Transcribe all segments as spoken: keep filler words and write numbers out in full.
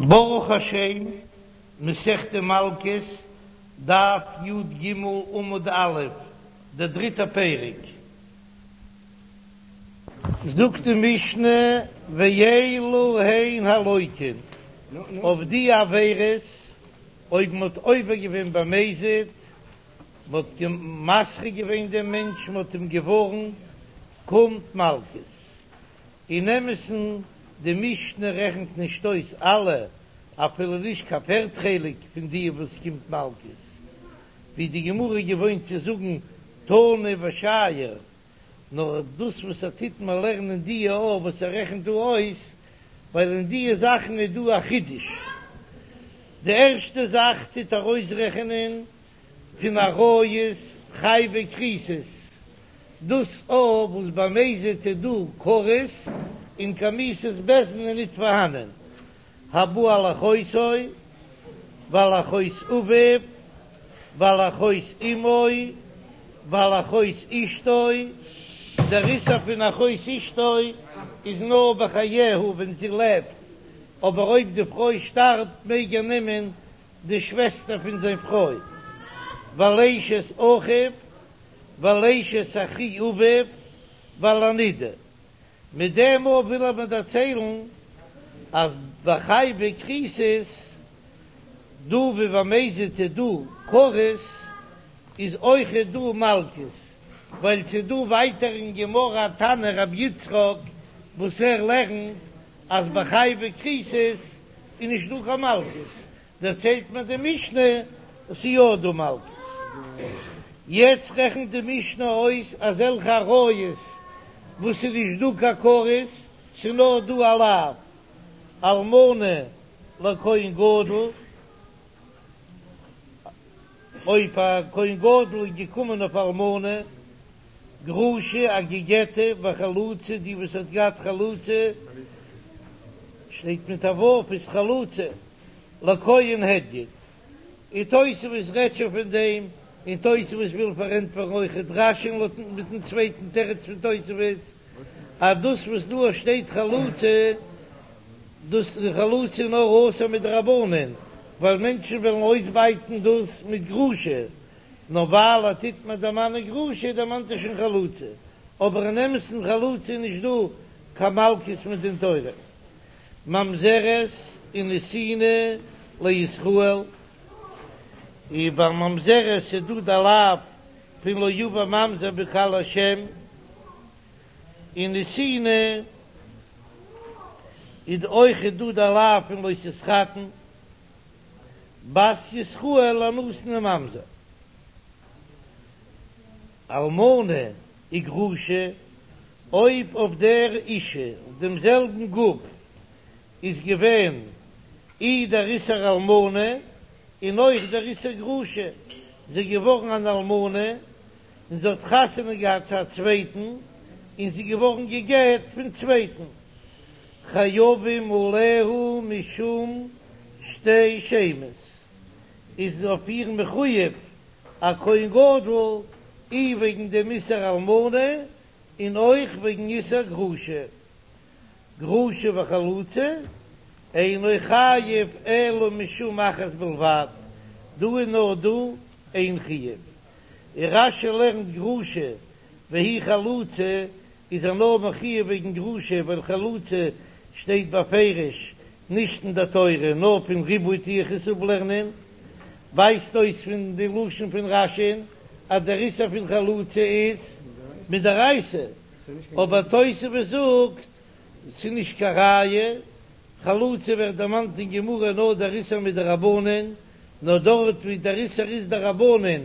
ברוך השם, מסכת מלקות, דף י"ג עמוד א', דער דריטער פרק. זאגט די משנה, ואלו הן הלוקין, אויף די עבירות, אויב מען האט עובר געווען במזיד, מען האט מתרה געווען דעם מענטש, מען האט אים געווארנט, קומט מלקות. אין אמת'ן, די משנה רעכנט נישט אויס אלע, אפילו נישט קיין פערט חלק פון די וואס קומט מלקות, ווי די גמרא איז געוואוינט צו זאגן תנא ושייר, נאר דאס וואס ער טוט מיר לערנען די א וואס ער רעכנט דא אויס, ווייל אין די זאכן איז דא א חידוש. די ערשטע זאך טוט ער אויסרעכענען פון עריות חייבי כריתות, דאס א וואס במזיד איז דא כרת און קיין מיתת בית דין איז ניט פארהאנען, הבא על אחותו ועל אחות אביו ועל אחות אמו ועל אחות אשתו, דער איסור פון אחות אשתו איז נאר בחייה ווען זי לעבט, אבער אויב די פרוי שטארבט מעג ער נעמען די שוועסטער פון זיין פרוי, ועל אשת אחיו ועל אשת אחי אביו ועל הנידה. מיט דעם א וויל ער מיר דערציילן אז ביי חייבי כריתות דא ווי במזיד איז דא כרת איז אויכעט דא מלקות, ווייל ס'איז דא ווייטער אין גמרא א תנא רבי יצחק וואס ער לערנט אז ביי חייבי כריתות איז נישט דא קיין מלקות, דערציילט מיר די משנה אז ס'איז יא דא מלקות. יעצט רעכנט די משנה אויס אזעלכע עריות וואס ס'איז נישט דא קיין כרת, ס'איז נאר דא א לאו, אלמנה לכהן גדול, אויב א כהן גדול איז געקומען אויף אלמנה, גרושה א געגעטע וחלוצה די וואס האט געהאט חלוצה, שטייט מיט א ו' איז חלוצה, לכהן הדיוט. און תוספות רעדט שוין פון דעם, און תוספות וויל פארענטפערן אויכעט רש"י לויט מיטן צווייטן תירוץ פון תוספות, אז דאס וואס דא שטייט חלוצה, דאס איז חלוצה נאר אסור מדרבנן, ווייל מענטשן וועלן אויסבייטן דאס מיט גרושה, נאר ווייל ער טוט מיר דערמאנען גרושה דערמאנט ער שוין חלוצה, אבער אין אמת'ן חלוצה איז נישט דא קיין מלקות מדין תורה. ממזרת און נתינה לישראל, און ביי ממזרת איז דא די לאו פון לא יבא ממזר בקהל השם, און נתינה איז אויכעט דא די לאו פון לא תתחתן בת ישראל לנתין וממזר, אלמנה וגרושה, אויב אויף דער אישה אויף דעם זעלבן גוף איז געווען אי דער איסור אלמנה און אויך דער איסור גרושה, זי איז געווארן אן אלמנה און זי האט חתונה געהאט צו א צווייטן און זי איז געווארן גע'גט פון צווייטן, חייבים עליה משום שתי שמות, איז אויף איר מחויב א כהן גדול אי וועגן דעם איסור אלמנה און אויך וועגן איסור גרושה, גרושה וחלוצה, אינו חייב אלא משום אחת בלבד, דא איז נאר דא איין חיוב, און רש"י לערנט גרושה והיא חלוצה איז ער נאר מחויב וועגן גרושה ווייל חלוצה שטייט בפירוש נישט אין די תורה נאר פון ריבוי טו איך עס אפלערנען, ווייזט אויס פון די לשון פון רש"י'ן אז דער איסור פון חלוצה איז מדאורייתא, אבער תוספות זאגט ס'איז נישט קיין ראיה, חלוצה ווערט דערמאנט אין גמרא נאר דער איסור מדרבנן, נאר דארט ווי דער איסור איז דרבנן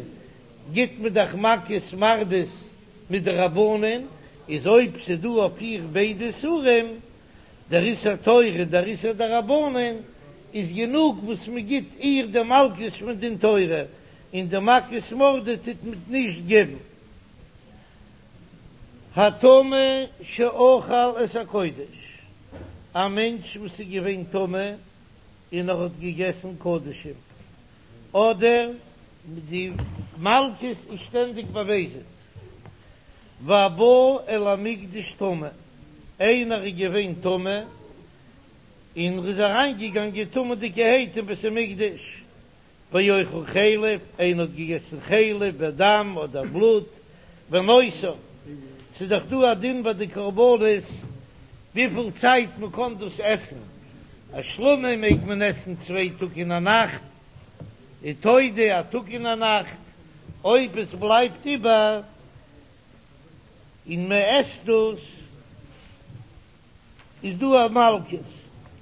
גיט מען דאך מכות מרדות מדרבנן, איז אויב ס'דא אויף איר ביידע איסורים, דער איסור תורה און דער איסור דרבנן, איז גענוג וואס מ'גיט איר די מלקות מדין תורה, און די מכות מרדות טוט מען נישט געבן. הטמא שאכל את הקודש, א מענטש וואס איז געווען טמא און ער האט געגעסן קדשים, אדער די מלקות איז שטענדיג במזיד, והבא אל המקדש טמא, איינער איז געווען טמא און ער איז אריינגעגאנגען טמא'דיגערהייט אין בית המקדש, ואוכל חלב, איינער האט געגעסן חלב ודם אדער בלוט, ונותר, ס'איז דאך דא א דין ביי די קרבנות וויפיל צייט מען קען דאס עסן, א שלמים מעג מען עסן צוויי טאג און א נאכט, און תודה א טאג און א נאכט, אויב עס בלייבט איבער און מען עסט דאס איז דא א מלקות,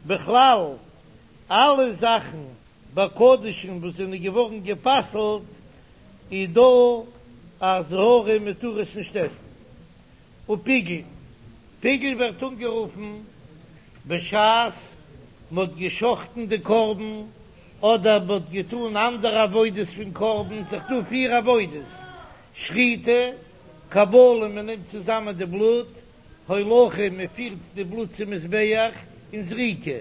בכלל אלע זאכן ביי קדשים וואס זענען געווארן גע'פסל'ט איז דא א אזהרה מען טאר עס נישט עסן. ופיגול, פיגול ווערט אנגערופן בשעת מען האט גע'שחט'ן די קרבן אדער מען האט געטאן אנדערע עבודות פון קרבן, ס'איז דא פיר עבודות, שחיטה, קבלה מען נעמט צוזאמען די בלוט, הולכה מען פירט די בלוט צום מזבח, און זריקה,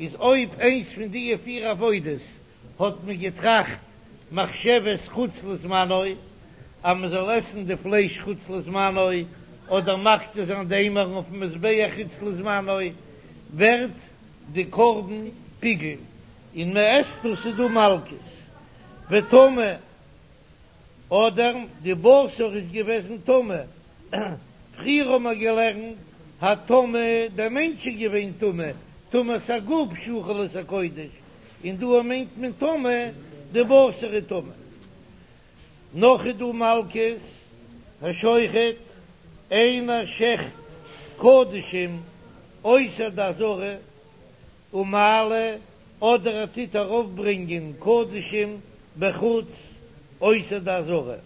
איז אויב איינס פון דיע פיר עבודות האט מען געטראכט מחשבת חוץ לזמנו אז מען זאל עסן די פלייש חוץ לזמנו, אדער מקטיר זיין די אימורין אויפן מזבח חוץ לזמנו, ווערט די קרבן פיגול און מען עסט דאס איז דא מלקות וטמא. אדער די בשר איז געוועזן טמא, פריער האבן מיר געלערנט הטמא, דער מענטש איז געווען טמא, טומאת הגוף שאכל את הקודש, און דא מיינט מען טמא, די בשר איז טמא. נאך איז דא מלקות, השוחט, איינער שעכט קדשים אויסער די עזרה, ומעלה, אדער ער טוט ארויפברענגען קדשים בחוץ אויסער די עזרה,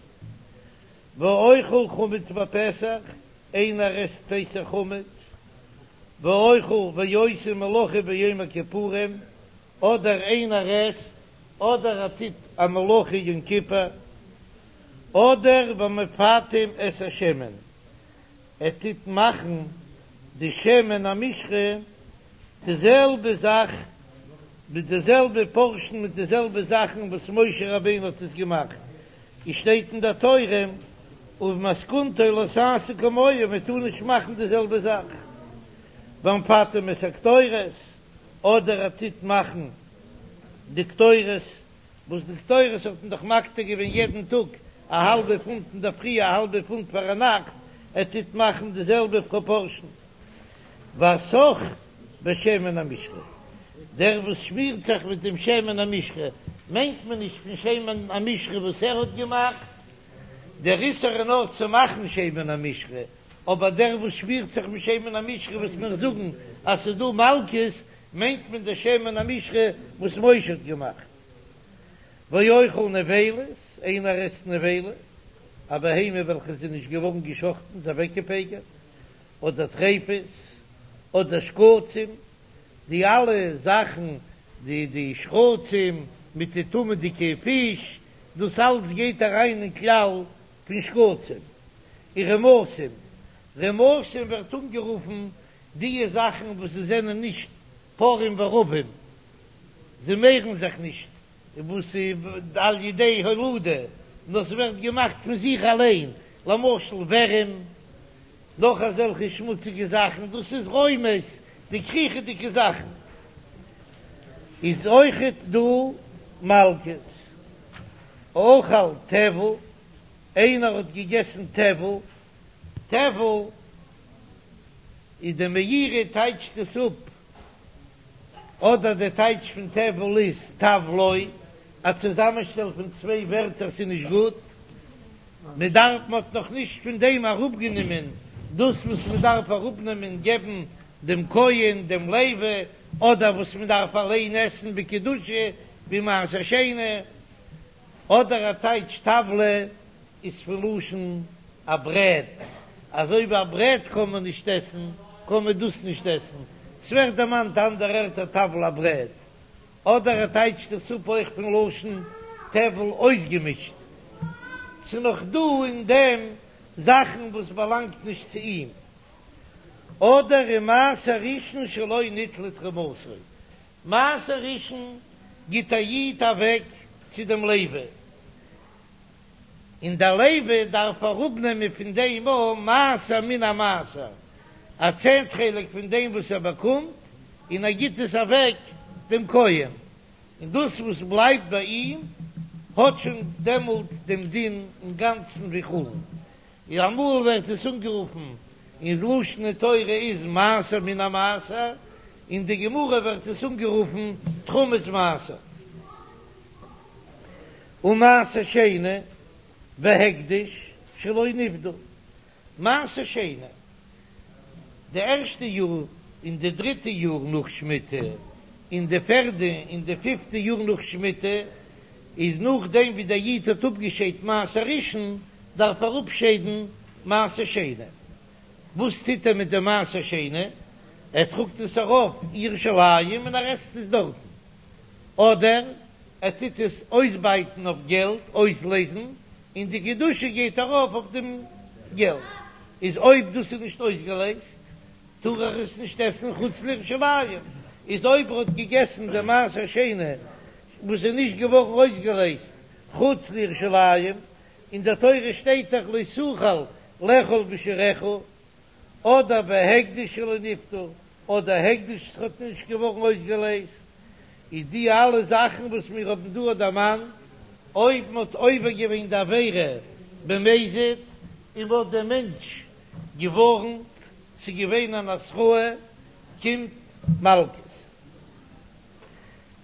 ואוכל חמץ בפסח, איינער עסט פסח חמץ, ואוכל ועושה מלאכה ביום הכיפורים, אדער איינער עסט אדער ער טוט א מלאכה יום כיפור, אדער והמפטם את השמן, ער טוט מאכן די שמן המשחה די זעלבע זאך מיט די זעלבע פארשן מיט די זעלבע זאכן וואס משה רבינו האט עס געמאכט, עס שטייט אין דער תורה ובמתכונתו לא תעשו כמוהו, מען טאר נישט מאכן די זעלבע זאך, והמפטם את הקטורת, אדער ער טוט מאכן די קטורת וואס די קטורת האט מען דאך מקטיר געווען יעדן טאג א האלבע פונט אינדערפרי א האלבע פונט פארנאכט, ער טוט מאכן די זעלבע פראפארשן. והסך בשמן המשחה, דער וואס שמירט זיך מיט דעם שמן המשחה, מיינט מען נישט פון שמן המשחה וואס ער האט געמאכט, דער איסור איז נאר צו מאכן שמן המשחה, אבער דער וואס שמירט זיך מיט שמן המשחה וואס מיר זאגן אז ס'איז דא מלקות, מיינט מען די שמן המשחה וואס משה האט געמאכט. ואוכל נבילות, איינער עסט נבילה, א בהמה וועלכע איז נישט געווארן געשחטן, איז אוועקגעפגר'ט, אדער טריפות, אדער שקצים, די אלע זאכן, די די שקצים מיט די טמא'דיגע פיש, דאס אלץ גייט אריין אין כלל פון שקצים. און רמשים, רמשים ווערט אנגערופן דיע זאכן וואס זיי זענען נישט פרים ורבים, זיי מערן זיך נישט, וואס איז על ידי הולדה, נאר ס'ווערט געמאכט פון זיך אליין, למשל ווערים, נאך אזעלכע שמוציגע זאכן, דאס איז רומש, די קריכעדיגע זאכן, איז אויכעט דא מלקות. אכל טבל, איינער האט געגעסן טבל, טבל איז די מאירי טייטשט עס אפ, אדער די טייטש פון טבל איז טבלא, א צוזאמענשטעל פון צוויי ווערטער ס'איז נישט גוט, מען דארף מען האט נאך נישט פון דעם אראפגענומען דאס וואס מען דארף אראפנעמען געבן דעם כהן דעם לוי, אדער וואס מען דארף אליין עסן בקדושה ווי מעשר שני, אדער א טייטש טבלא איז פון לשון א ברעט, אזוי ווי א ברעט קען מען נישט עסן, קען מען דאס נישט עסן, ס'ווערט דערמאנט אנדערע ערטער טבל א ברעט, אדער ער טייטשט עס אפ אויך פון לשון טבל אויסגעמישט, ס'נאך דא אין דעם זאכן וואס באלאנגט נישט צו אים, אדער ומעשר ראשון שלא ניטלה תרומתו, מעשר ראשון גיט א איד אוועק צו דעם לוי, און דער לוי דארף אראפנעמען פון דעם א מעשר מן המעשר, א צענט חלק פון דעם וואס ער באקומט, און ער גיט עס אוועק דעם כהן, און דאס וואס בלייבט ביי אים האט שוין דעמאלט דעם דין אינגאנצן ווי חולין. און אמאל ווערט עס אנגערופן אין לשון התורה איז מעשר מן המעשר, אין די גמרא ווערט עס אנגערופן תרומת מעשר. ומעשר שני והקדש שלא נפדו, מעשר שני, די ערשטע יאר און די דריטע יאר נאך שמיטה, און די פערדע און די פיפטע יאר נאך שמיטה, איז נאכדעם ווי דער איד האט אפגעשיידט מעשר ראשון, דארף ער אפשיידן מעשר שני. וואס טוט ער מיט די מעשר שני? ער טראגט עס ארויף ירושלים און ער עסט עס דארטן. אדער ער טוט עס אויסבייטן אויף געלט, אויסלעזן, און די קדושה גייט ארויף אויף דעם געלט. איז אויב דאס איז נישט אויסגעלעזט, טאר ער עס נישט עסן חוץ לירושלים. איז אויב ער האט געגעסן די מעשר שני וואס איז נישט געווארן אויסגעלעזט חוץ לירושלים, אין דער תורה שטייט דאך לא תוכל לאכול בשעריך, אדער והקדש שלא נפדה, אדער הקדש וואס האט נישט געווארן אויסגעלעזט, איז די אלע זאכן וואס מיר האבן דא דערמאנט, אויב מען האט עובר געווען די עבירה במזיד און מען האט דעם מענטש געווארנט, ס'איז געווען אן התראה, קומט מלקות.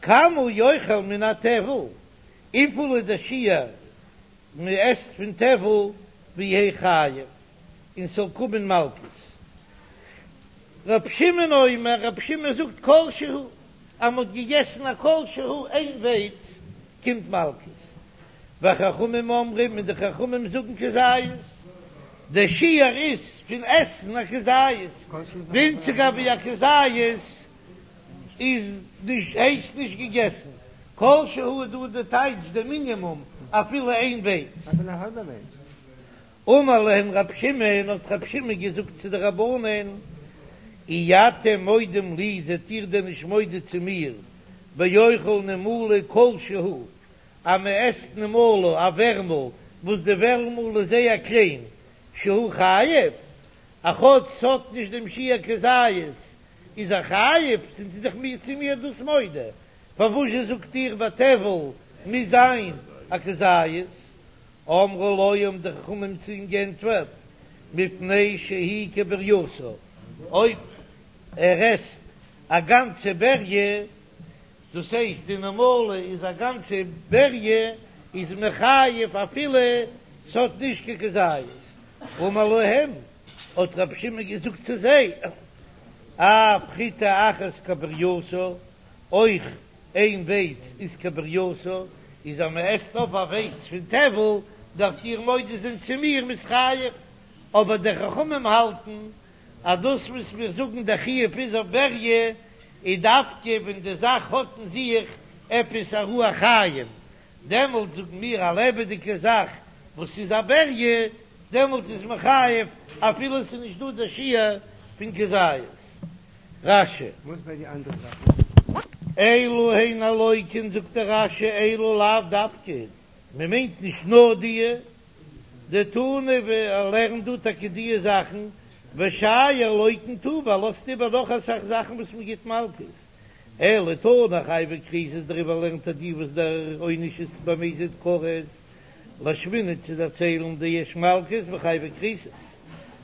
כמה יאכל מן הטבל, וויפיל איז דער שיעור מען עסט פון טבל ויהא חייב און ס'זאל קומען מלקות. ר' שמעון אומר, ר' שמעון זאגט כל שהוא, אז מ'האט געגעסן א כל שהוא איין ווייץ קומט מלקות. וחכמים אומרים און די חכמים זאגן כזית, דער שיעור איז פון עסן א כזית, ווינציגער ווי א כזית איז נישט הייסט נישט געגעסן, כל שהוא איז דא די טייטש די מינימום אפילו איין ווייץ. אפילו א האלבע ווייץ. אמר להם רב שמעון, האט רב שמעון געזאגט צו די רבנן, אי אתם מודים לי, זענט איר דען נישט מודה צו מיר, באוכל נימלה כל שהוא, אז מען עסט נימלה, א ווערמל, וואס די ווערמל איז זייער קליין, שהוא חייב, א כאטש ס'האט נישט דעם שיעור כזית, איז ער חייב, זענט איר דאך מיר צו מיר דאס מודה, פארוואזשע זאגט איר ביי טבל מוז זיין א כזית? אמרו לו האבן די חכמים צו אים גענטפערט, מפני שהיא כברייתה, אויב ער עסט א גאנצע בריה, דאס הייסט די נמלה איז א גאנצע בריה, איז מען חייב אפילו ס'האט נישט קיין כזית. אמר להם, האט רבי שמעון געזאגט צו זיי, אף חיטה אחת כברייתה, אויך איין ווייץ איז כברייתה, איז אז מען עסט אויף א ווייץ פון טבל, דארפט איר מודה זיין צו מיר מ'איז חייב, אבער די חכמים האלטן אז דאס וואס מיר זאגן דער חיוב איז אויף בריה, איז דווקא ווען די זאך האט אין זיך עפעס א רוח חיים, דעמאלט זאגן מיר א לעבעדיגע זאך וואס איז א בריה, דעמאלט איז מען חייב אפילו עס איז נישט דא דער שיעור פון כזית. רש"י. וואס ביי די אנדערע זאכן? אלו הן הלוקין זאגט דער רש"י אלו לאו דווקא, מען מיינט נישט נאר דיע, דתנא ווי ער לערנט דא טאקע דיע זאכן, ושייר לוקין טובא, ער לאזט איבער נאך אסאך זאכן וואס מען גיט מלקות, אלא תנא חייבי כריתות דעריבער לערנט ער די וואס דער עונש איז במזיד כרת לאשמועינן צו דערציילן דיש מלקות וחייבי כריתות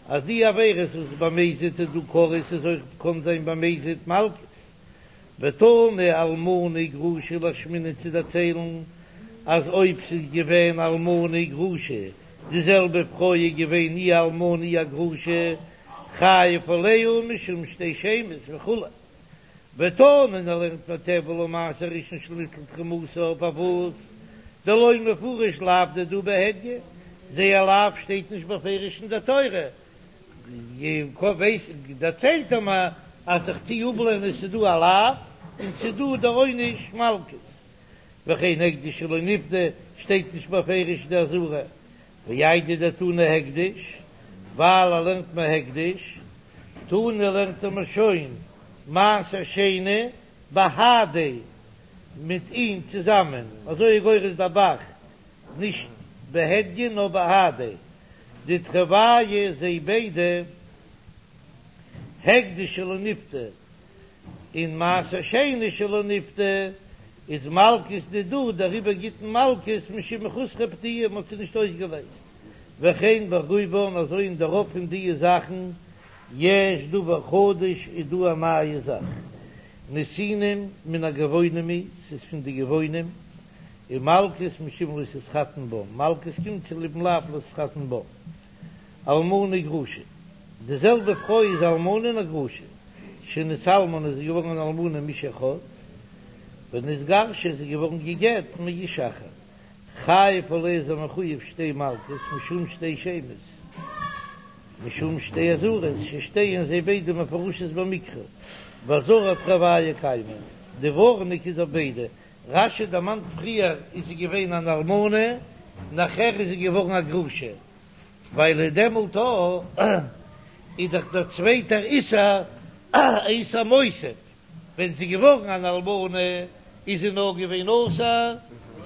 אז די עבירות וואס במזיד איז דא כרת איז אויך קאן זיין במזיד מלקות ותנא אלמנה וגרושה לאשמועינן צו דערציילן אז אויב ס'איז געווען אלמנה וגרושה די זעלבע פרוי איז געווען אי אלמנה אי א גרושה חייב עליה משום שתי שמות וכו'. ותנא און ער לערנט מיר טבל ומעשר ראשון שלא ניטלה תרומתו פארוואס דלא מפרש לאו דידהו בהדיא זייער לאו שטייט נישט בפירוש אין דער תורה ווייס דערציילט ער מיר אז איך טוה אפלערנען ס'איז דא א לאו און ס'איז דא דער עונש מלקות וכן הקדש שלא נפדה שטייט נישט בפירוש די אזהרה ואיידי דתנא הקדש ווייל ער לערנט מיר הקדש תנא לערנט ער מיר שוין מעשר שני בהדיה מיט אים צוזאמען, אזוי איז גורס דער ב"ח, נישט בהדיא נאר בהדיה, דתרוייהו זיי ביידע הקדש שלא נפדה און מעשר שני שלא נפדה איז מלקות דידהו, דעריבער גיט מען מלקות משום מחוסרי פדיה, מען האט זיי נישט אויסגעלייזט, וכן ברובן אזוי אין די רוב פון דיע זאכן, יש דבר חדש איז דא א נייע זאך, נתינים מן הגבעונים היא, ס'איז פון די גבעונים, ומלקות משום לא תתחתן בם, מלקות קומט צוליבן לאו לא תתחתן בם. אלמנה וגרושה, די זעלבע פרוי איז אלמנה און א גרושה, שנתאלמנה איז זי געווארן אן אלמנה מאיש אחד, ונתגרשה איז זי געווארן גע'גט מאיש אחר, חייב עליה איז ער מחויב שתי מלקות משום שתי שמות, משום שתי אזהרות ששתיהן זיי ביידע מפורשות במקרא, ואזהרה תרוייהו קיימי, די ווארענונג איז אויף ביידע, רש"י דערמאנט פריער איז זי געווען אן אלמנה, נאכער איז זי געווארן א גרושה. ווייל דעמאלט איז דאך דער צווייטער איסור א איסור מוסיף, ווען זי איז געווארן אן אלמנה איז זי נאר געווען אסור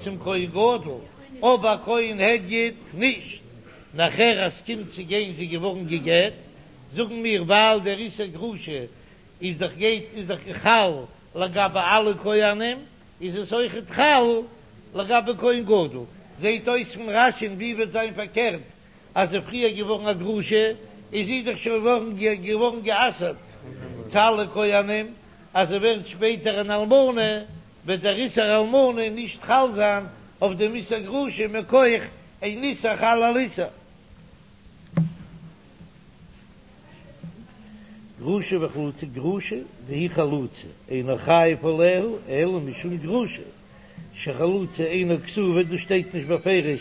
צום כהן גדול, אבער כהן הדיוט נישט, נאכער אז ס'קומט צו גיין זי איז געווארן גע'גט, זאגן מיר ווייל דער איסור גרושה איז דאך גייט איז דאך חל לגבי אלע כהנים, איז עס אויכעט חל לגבי כהן גדול? זעהט אויס פון רש"י'ן ווי וועט זיין פארקערט אז זי איז פריער געווארן א גרושה איז זי דאך שוין געווארן גע'אסר'ט צו אלע כהנים, אז זי ווערט שפעטער אן אלמנה וועט דער איסור אלמנה נישט חל זיין אויף דעם איסור גרושה מכח אין איסור חל על איסור. גרושה וחלוצה, גרושה דהיא חלוצה, אינו חייב עליה אלא משום גרושה, שחלוצה אינה כתובה, דאס שטייט נישט בפירוש,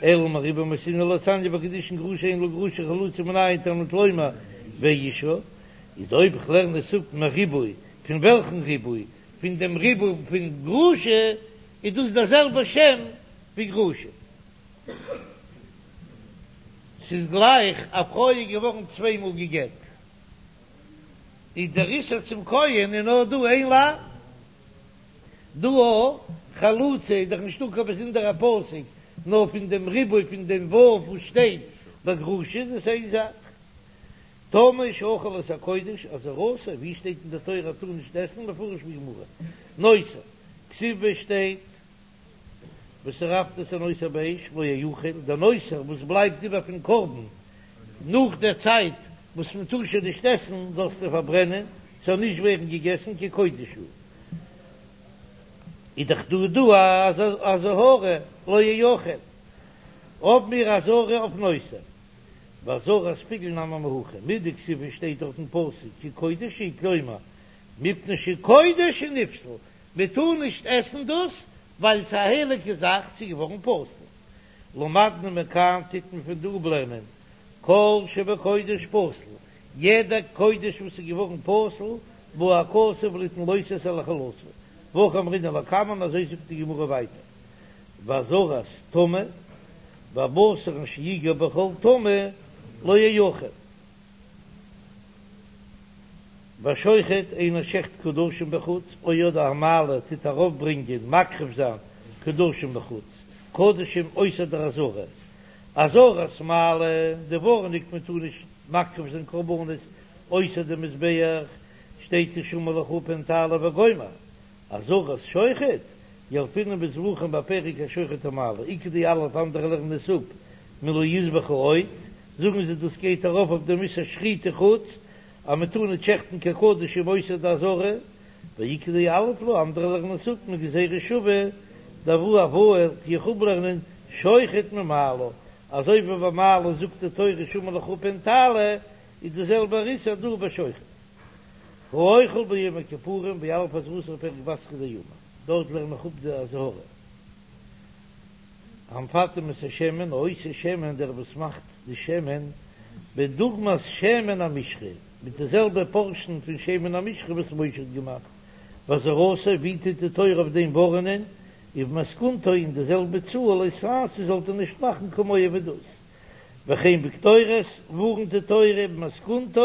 אלא מריבוי מייתינן דתניא בקידושין גרושה אין לה גרושה חלוצה מנין תלמוד לומר ואישה, איז אויב איך לערן עס אפ מריבוי, פון וועלכן ריבוי? פון דעם ריבוי פון גרושה, איז דאס דער זעלבער שם ווי גרושה. ס'איז גלייך א פרוי איז געווארן צוויי מאל גע'גט, איז דער איסור צום כהן איז נאר דא איין לאו, דא אויך חלוצה איז דאך נישטא קיין באזונדערע פסוק, נאר פון דעם ריבוי פון דעם ו' וואס שטייט ביי גרושה איז עס איין זאך. טמא שאכל את הקודש אזהרתו, ווי שטייט אין די תורה אז טאר נישט עסן, מפרש בגמרא, נותר, כתיב שטייט. ושרפת את הנותר באש לא יאכל, דער נותר וואס בלייבט איבער פון קרבן נאך דער צייט וואס מען טאר שוין נישט עסן, זאלסטו פארברענען, ס'זאל נישט ווערן געגעסן, כי קודש הוא. איז דאך דא דא א אזהרה לא יאכל, האב מיר אזהרה אויף נותר, ואזהרת פיגול נמי מהכא, מדכתיב שטייט דארט אין פסוק כי קודש הוא, כלומר מפני שקודש הוא נפסל, מען טאר נישט עסן דאס ווייל ס'איז א הייליגע זאך, ס'איז געווארן פסול. למדנו מכאן טוט מען פון דא אפלערנען כל שבקודש פסול, יעדע קודש וואס איז געווארן פסול בא הכתוב ליתן לא תעשה לחלתו, והכי אמרינן לקמן אזוי זאגט די גמרא ווייטער, ואזהרת טמא והבשר אשר יגע בכל טמא לא יאכל. והשוחט איינער שעכט קדשים בחוץ, או אדער המעלה טוט ארויפברענגען מקריב זיין קדשים בחוץ, קדשים אויסער דער עזרה, אזהרת מעלה, די ווארענונג מען טאר נישט מקריב זיין קרבנות אויסער די מזבח, שטייט השמר לך פן תעלה וגומר, אזהרת שוחט, ילפינן בזבחים בפרק השוחט ומעלה, איכא דיליף אנדערע לערנען עס אפ מלא יזבחו עוד, זאגן זיי דאס גייט ארויף אויף דעם איסור שחיטה חוץ, אז מען טאר נישט שעכטן קיין קדשים אויסער די עזרה, ואיכא דיליף לה אנדערע לערנען עס אפ מגזירה שווה דהואי אבוה טו איך אפלערנען שוחט ממעלה, אזוי ווי ביי מעלה זאגט די תורה השמר לך פן תעלה, איז די זעלבע איסור דא ביי שוחט. האוכל ביום הכיפורים וילף אזהרתו בפרק בתרא דאמר, דארט לערן איך אפ די אזהרה. המפטם את השמן, העושה שמן, דער וואס מאכט די שמן, בדוגמת שמן המשחה, מיט די זעלבע פארשן פון שמן המשחה וואס משה האט געמאכט, ואזהרתו, ווי טוט די תורה אויף דעם ווארענען, ובמתכונתו אין די זעלבע צאל, לא תעשו זאלט איר נישט מאכן כמוהו ווי דאס. וכן בקטורת, ווארנט די תורה ובמתכונתה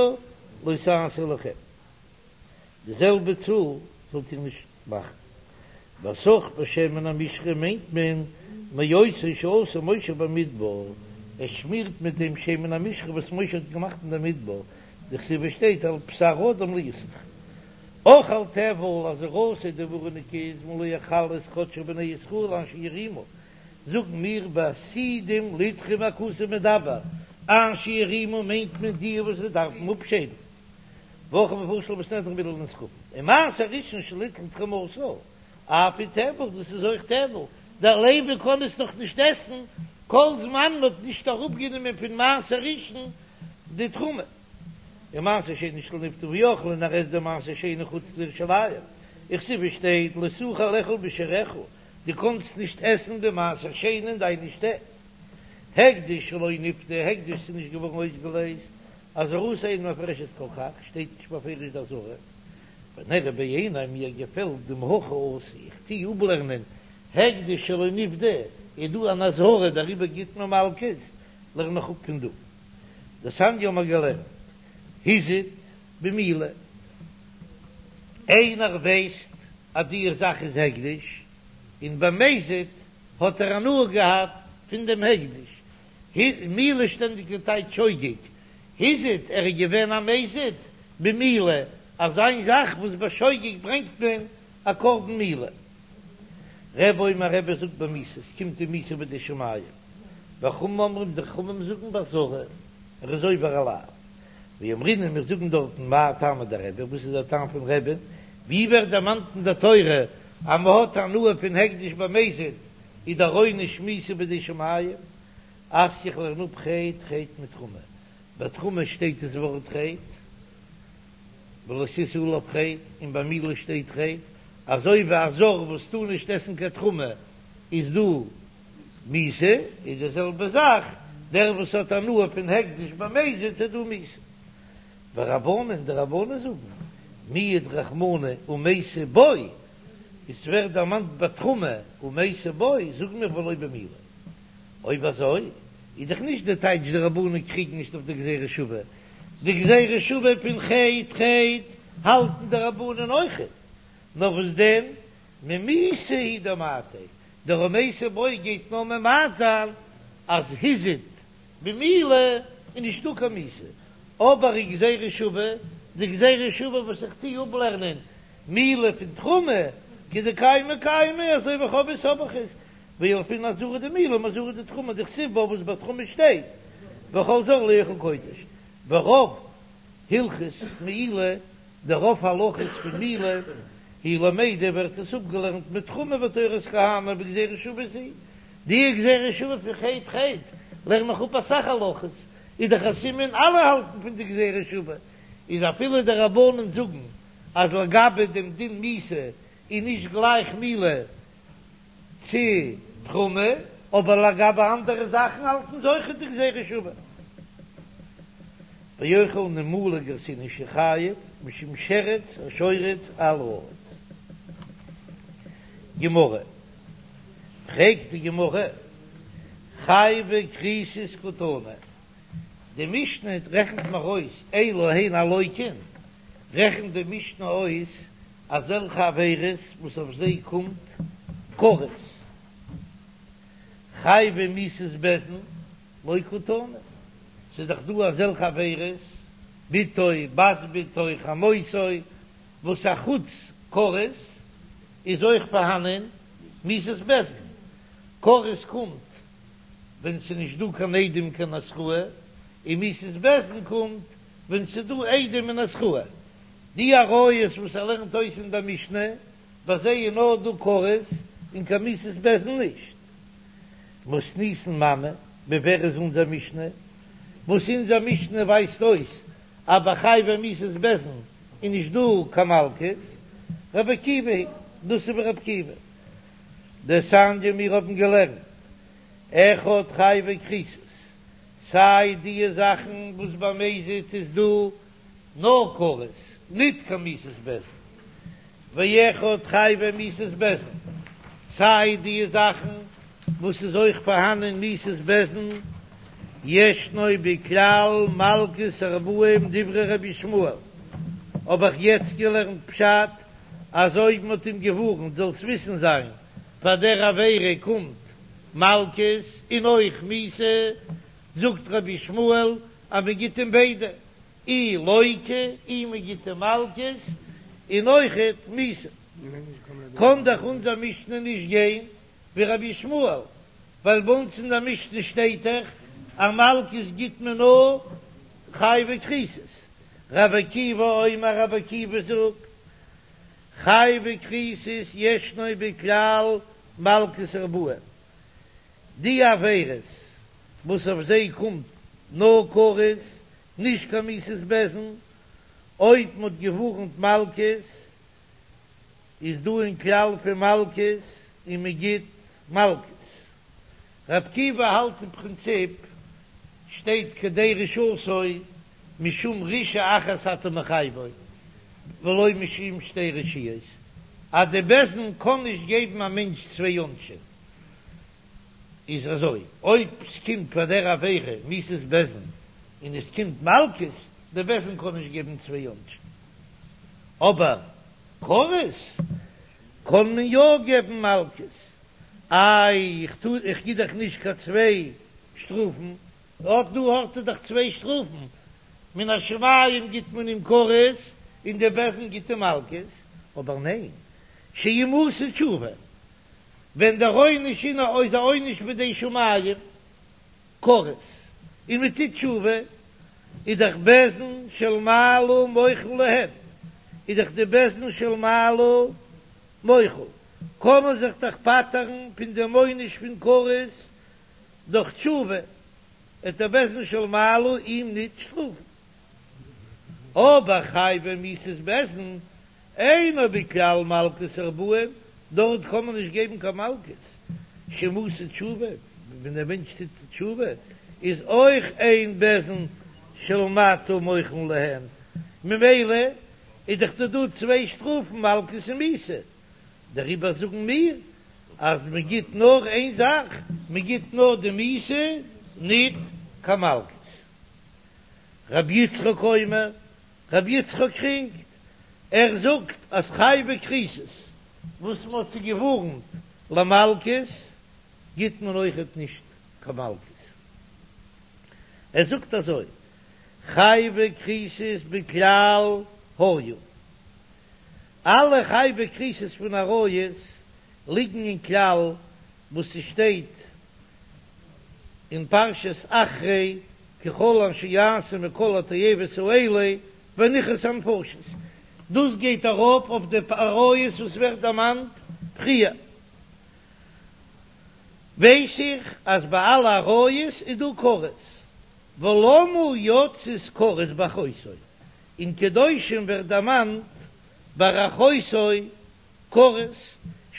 לא תעשו לכם. די זעלבע צאל זאלט איר נישט מאכן. והסך בשמן המשחה מיינט מען מאותו שעשה משה במדבר, ער שמירט מיט דעם שמן המשחה וואס משה האט געמאכט אין דער מדבר, דכתיב עס שטייט על בשר אדם לא יסוך. אכל טבל אזהרתו די ווארענונג איז מלא חלות קדשי בני ישראל אשר ירימו, זאגן מיר בעתידים ליתרום הכתוב מדבר, אשר ירימו מיינט מען די וואס זיי דארפן אפשיידן, והכי מפרש לה בסנהדרין מעיל לנזקקין, און מעשר ראשון שניטלה תרומתו, אף הוא טבל, דאס איז אויך טבל, דער לוי קען עס נאך נישט עסן כל זמן מען האט נישט אראפגענומען פון מעשר ראשון די תרומה. און מעשר שני שלא נפדה ואכלה און ער עסט די מעשר שני חוץ לירושלים, וכתיב שטייט לא תוכל לאכול בשעריך, דו קאנסט נישט עסן די מעשר שני אין דיינע שטעט. הקדש שלא נפדה, הקדש איז נישט געווארן אויסגעלייזט, אזהרתו אינה מפורשת כל כך, שטייט נישט בפירוש די אזהרה. ונראה בעיני מיר געפעלט דמהכא אתי, איך טוה אפלערנען הקדש שלא נפדה, איז דא אן אזהרה דעריבער גיט מען מלקות, לערן איך אפ פון דא. דתניא האבן מיר געלערנט הזיד במילה, איינער ווייסט אז די זאך איז הקדש, און במזיד האט ער הנאה געהאט פון דעם הקדש, מעילה שטענדיג די טייטש שוגג, הזיד ער איז געווען א מזיד במילה, אזא זאך וואס בשוגג ברענגט מען א קרבן מעילה. רבי אומר רבי זאגט במיתה, עס קומט אים מיתה בידי שמים, וחכמים אומרים די חכמים זאגן באזהרה, ער איז עובר א לאו. ואמרינן מיר זאגן דארטן מאי טעמא דרבי, וואס איז דער טעם פון רבי'ן, ווי ווערט דערמאנט אין דער תורה אז מען האט הנאה פון הקדש במזיד, איז דער עונש מיתה בידי שמים, אתיא איך לערן אפ חטא חטא מתרומה, ביי תרומה שטייט דאס ווארט חטא, ולא תשא עליו חטא, און ביי מעילה שטייט חטא, אזוי ווי א זר וואס טאר נישט עסן קיין תרומה איז דא מיתה, איז די זעלבע זאך דער וואס האט הנאה פון הקדש במזיד איז דא מיתה. ורבנן, די רבנן זאגן, מיעט רחמנא ומייתי בו, עס ווערט דערמאנט ביי תרומה ומייתי בו, זאגן מיר ולא במילה. אויב אזוי איז דאך נישט די טייטש די רבנן קריגן נישט אויף די גזירה שוה, די גזירה שוה פון חטא חטא האלטן די רבנן אויכעט, נאר וואס דען ממיתה הוא דמעטי, דער ומייתי בו גייט נאר ממעט זיין אז הזיד במילה איז נישטא קיין מיתה, אבער די גזירה שוה, די גזירה שוה וואס איך טוה אפלערנען מילה פון תרומה, כדקיימא קיימא, אזוי ווי איך האב עס האב איך עס, וילפינן אזהרה דמילה מאזהרה דתרומה דכתיב בה וואס ביי תרומה שטייט וכל זר לא יאכל קודש, ורוב הלכות מעילה, די רוב הלכות פון מעילה היא למדה ווערט עס אפגעלערנט מתרומה ותורת כהנים וגזירה שוה זו, די גזירה שוה פון חטא חטא לערן איך אפ אסאך הלכות, איז דאך א סימן אלע האלטן פון די גזירה שוה, איז אפילו די רבנן זאגן אז לגבי דעם דין מיתה איז נישט גלייך מילה צו תרומה, אבער לגבי אנדערע זאכן האלטן זיי אויכעט די גזירה שוה. ואוכל נימולא גרסינן שחייב משום שרץ השורץ על הארץ. גמרא, פרעגט די גמרא, חייבי כריתות קתני, די משנה רעכנט מיר אויס אלו הן הלוקין, רעכנט די משנה אויס אזעלכע עבירות וואס אויף זיי קומט כרת, חייבי מיתות בית דין לא קתני, ס'איז דאך דא אזעלכע עבירות, בתו, בת בתו, חמותו, וואס א חוץ כרת איז אויך פארהאנען מיתת בית דין, כרת קומט ווען ס'איז נישט דא קיין עדים קיין התראה, און מיתת בית דין קומט ווען ס'איז דא עדים און התראה. די עריות וואס ער לערנט אויס אין דער משנה, ביי זיי איז נאר דא כרת און קיין מיתת בית דין נישט. מתניתין מני, ווי ווער איז אונזער משנה? וואס אונזער משנה ווייזט אויס אז ביי חייבי מיתות בית דין איז נישט דא קיין מלקות, רבי עקיבא היא, דאס איז ווי רבי עקיבא. דתניא מיר האבן געלערנט, אחד חייבי כריתות, סיי דיע זאכן וואס במזיד איז דא נאר כרת, ניט קיין מיתת בית דין, ואחד חייבי מיתות בית דין, סיי דיע זאכן וואס איז אויך פארהאנען מיתת בית דין, ישנו בכלל מלקות ארבעים דברי רבי ישמעאל, האב איך יעצט געלערנט פשט אז אויב מ'האט אים געווארנט זאלסט וויסן זיין פאר דער עבירה קומט מלקות און אויך מיתה, זאגט רבי ישמעאל אז מ'גיט אים ביידע. אי לוקה, אי מען גיט אים מלקות, און אויכעט מיתה. קען דאך אונזער משנה נישט גיין ווי רבי ישמעאל, ווייל ביי אונז אין דער משנה שטייט דאך אז מלקות גיט מען נאר חייבי כריתות. רבי עקיבא אומר, רבי עקיבא זאגט, חייבי כריתות ישנו בכלל מלקות ארבעים, די עבירות וואס אויף זיי קומט נאר כרת, נישט קיין מיתת בית דין, אויב מ'האט געווארנט מלקות, איז דא אין כלל פון מלקות און מ'גיט מלקות. רבי עקיבא האלט אין פרינציפ שטייט כדי רשעתו משום רשעה אחת אתה מחייבו ולא משום שתי רשעיות, אז די בית דין קען נישט געבן א מענטש צוויי עונשים, איז אזוי אויב ס'קומט פאר דער עבירה מיתת בית דין און עס קומט מלקות, די בית דין קען נישט געבן צוויי עונשים, אבער כרת קען מען יא געבן מלקות, איי איך טאר איך גיב דאך נישט קיין צוויי שטראפן, אט דא האט ער דאך צוויי שטראפן, מן השמים גיט מען אים כרת און די בית דין גיט אים מלקות, אבער ניין, שאם עשה תשובה, ווען דער עונש איז א עונש בידי שמים, כרת, און מען טוט תשובה, איז דאך בית דין של מעלה מוחל להם, איז דאך די בית דין של מעלה מוחל, קען מען זיך דאך פטר'ן פון דעם עונש פון כרת דורך תשובה, וועט דער בית דין של מעלה אים ניט שטראפן. אבער חייבי מיתת בית דין אינו בכלל מלקות ארבעים, דארט קען מען נישט געבן קיין מלקות, שאם עשה תשובה, ווען דער מענטש טוט תשובה איז אויך אין בית דין של מטה מוחלין להם, ממילא איז דאך דא דא צוויי שטראפן מלקות און מיתה, דעריבער זאגן מיר אז מען גיט נאר איין זאך, מען גיט נאר די מיתה, ניט קיין מלקות. רבי יצחק אומר, רבי יצחק קריגט, ער זאגט אז חייבי כריתות וואס מען האט זיי געווארנט למלקות גיט מען אויכעט נישט קיין מלקות, ער זאגט אזוי, חייבי כריתות בכלל היו, אלע חייבי כריתות פון עריות ליגן אין כלל וואס ס'שטייט אין פרשת אחרי כי כל אשר יעשו מכל התועבות האלה ונכרתו הנפשות, דאס גייט ארויף אויף די עריות וואס ווערט דערמאנט פריער, ווייס איך אז ביי אלע עריות איז דא כרת, ולמה יצאת כרת באחותו, אין קדושים ווערט דערמאנט ביי אחותו כרת,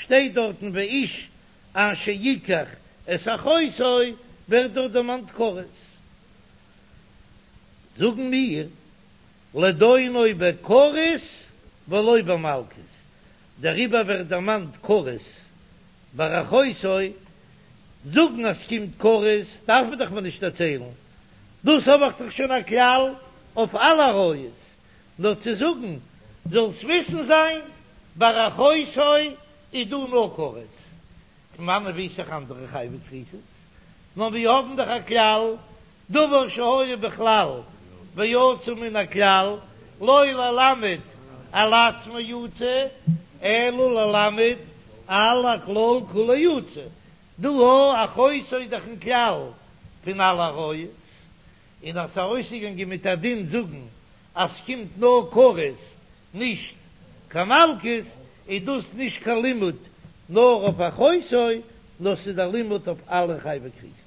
שטייט דארטן ואיש אשר יקח את אחותו ווערט דארט דערמאנט כרת, זאגן מיר לדונו בכרת ולא במלקות, דעריבער ווערט דערמאנט כרת ביי אחותו, זאגן אז ס'קומט כרת דארף מען דאך מיר נישט דערציילן, דאס האב איך דאך שוין א כלל אויף אלע עריות, נאר צו זאגן זאלסט וויסן זיין ביי אחותו איז דא נאר כרת, פון וואנען ווייס איך אנדערע חייבי כריתות? נאר מיר האבן דאך א כלל, דבר שהיה בכלל ויצא מן הכלל, לא ללמד על עצמו יצא, אלא ללמד על הכלל כולו יצא. דא א אחותו איז דאך אין כלל פון אלע עריות, און אז ס'איז ארויסגעגאנגען מיט א דין זאגן אז ס'קומט נאר כרת נישט קיין מלקות, איז דאס נישט קיין לימוד נאר אויף אחותו, נאר ס'איז א לימוד אויף אלע חייבי כריתות.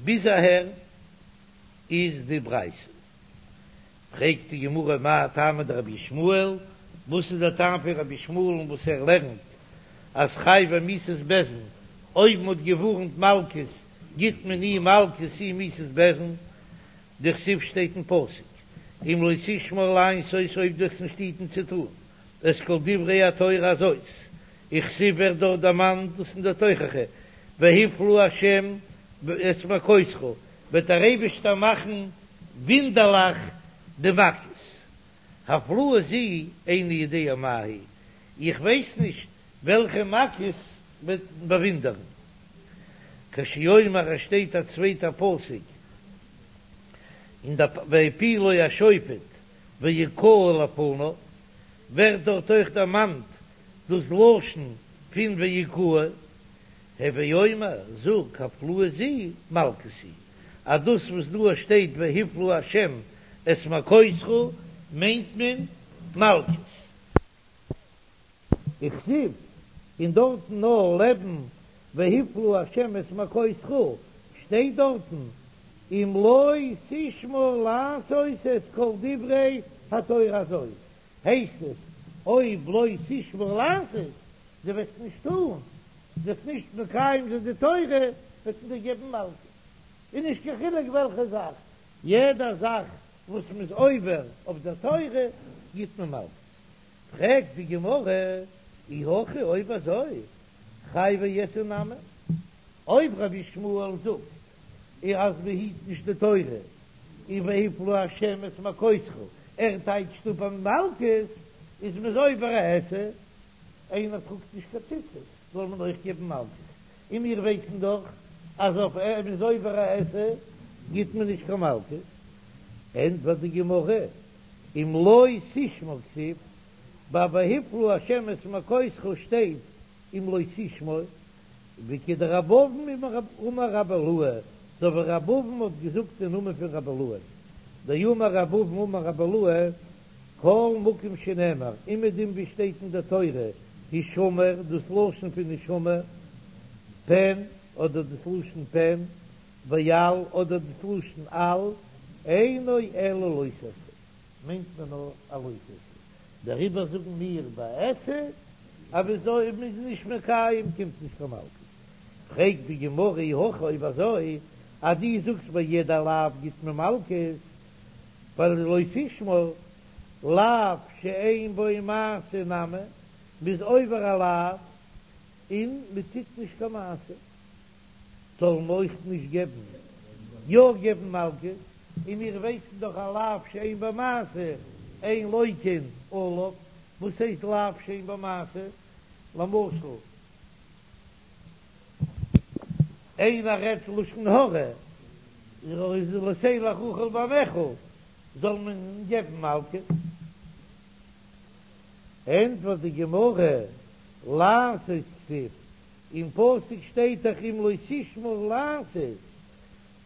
ביז אהער איז די ברייתא. פרעגט די גמרא מאי טעמא דרבי ישמעאל, וואס איז דער טעם פון רבי ישמעאל'ן וואס ער לערנט אז חייבי מיתת בית דין, אויב מ'האט געווארנט מלקות גיט מען אי מלקות אי מיתת בית דין, דכתיב שטייט אין פסוק אם לא תשמור לעשות אויב דו וועסט נישט היטן צו טאן את כל דברי התורה הזאת, וכתיב ווערט דארט דערמאנט דאס אין דער תוכחה והפלה ה' את מכותך וועט דער אייבישטער מאכן וואונדערליך די מכות, הפלאה זו איני יודע מה היא, איך ווייס נישט וועלכע מכות וועט באוואונדערן. כשהוא אומר עס שטייט א צווייטע פסוק אין די והפילו השופט והכהו לפניו, ווערט דארט אויך דערמאנט דאס לשון פון והכהו, הוי אומר, זאג, הפלאה זו מלקות היא, אז דאס וואס דא שטייט והפלה השם את מכותך מיינט מען מלקות. וכתיב, און דארטן נאר לעבן והפלה השם את מכותך שטייט דארטן אם לא תשמור לעשות את כל דברי התורה הזאת, הייסט עס אויב לא תשמור לעשות, דו וועסט נישט טון, דו וועסט נישט מקיים זיין די תורה, וועט מען דיר געבן מלקות, און נישט קיין חילוק וועלכע זאך, יעדע זאך וואס מ'איז עובר אויף דער תורה גיט מען מלקות. פרעגט די גמרא, אי הכי אויב אזוי חייבי עשה נמי, אויב רבי ישמעאל זאגט אז מען היט נישט די תורה און והפלה השם את מכותך, ער טייטשט אפ אז מלקות איז מ'איז עובר א עשה, איינער טראגט נישט קיין ציצית זאל מען אויך געבן מלקות, און מיר ווייסן דאך אז אויף מ'איז עובר א עשה גיט מען נישט קיין מלקות, ענטפערט די גמרא, אם לא תשמור כתיב, ביי והפלה השם את מכותך שטייט אם לא תשמור, וכדרבי אבין אמר רבי אילעא, אזוי ווי רבי אבין האט געזאגט אין נאמען פון רבי אילעא, דאמר רבי אבין אמר רבי אילעא, כל מקום שנאמר, אומעדום ווי שטייט אין דער תורה, הישמר, דאס לשון פון הישמר, פן, אדער דאס לשון פן, ואל, אדער דאס לשון אל, אינו אלא לא תעשה, מיינט מען נאר א לא תעשה. דעריבער זאגן מיר ביי עשה, אז אויב מ'איז נישט מקיים קומט נישט קיין מלקות. פרעגט די גמרא אי הכי אויב אזוי אז דו זאגסט ביי יעדע לאו גיט מען מלקות, ווייל לא תשמור, לאו שאין בו מעשה נמי, מ'איז עובר א לאו און מ'טוט נישט קיין מעשה. זאל מען אויך נישט געבן, יא געבן מלקות, און מיר ווייסן דאך א לאו שאין בו מעשה אין לוקין עליו, וואס הייסט לאו שאין בו מעשה? למשל איינער רעדט לשון הרע, לא תלך רכיל בעמיך, זאל מען געבן מלקות? ענטפערט די גמרא, לעשות כתיב, אין פסוק שטייט דאך אם לא תשמור לעשות,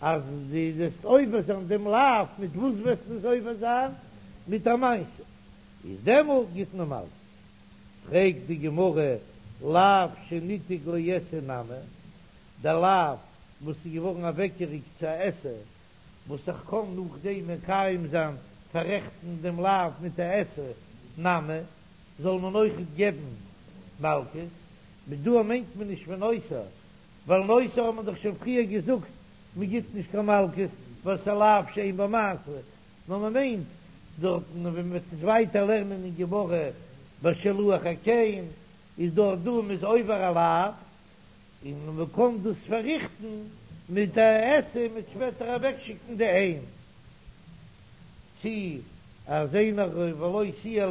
אז דו וועסט עובר זיין דעם לאו, מיט וואס וועסטו עס עובר זיין? מיט א מעשה, איז דעמאלט גיט מען מלקות. פרעגט די גמרא, לאו שניתק לעשה נמי, דער לאו וואס איז געווארן אוועקגעריקט צו א עשה, וואס איך קען נאכדעם מקיים זיין, פאררעכטן דעם לאו מיט א עשה, נמי, זאל מען אויכעט געבן מלקות, מיט דא מיינט מען נישט פון נותר, ווייל נותר האט מען דאך שוין פריער געזאגט מען גיט נישט קיין מלקות ווייל ס'איז א לאו שאין בו מעשה, נאר מען מיינט דארטן ווען מען וועט עס ווייטער לערנען אין גמרא ביי שילוח הקן איז דארט דא מען איז עובר א לאו און מען קען דאס פארריכטן מיט א עשה מיט שפעטער אוועקשיקן די אם. צי אז איינער ולו תהיה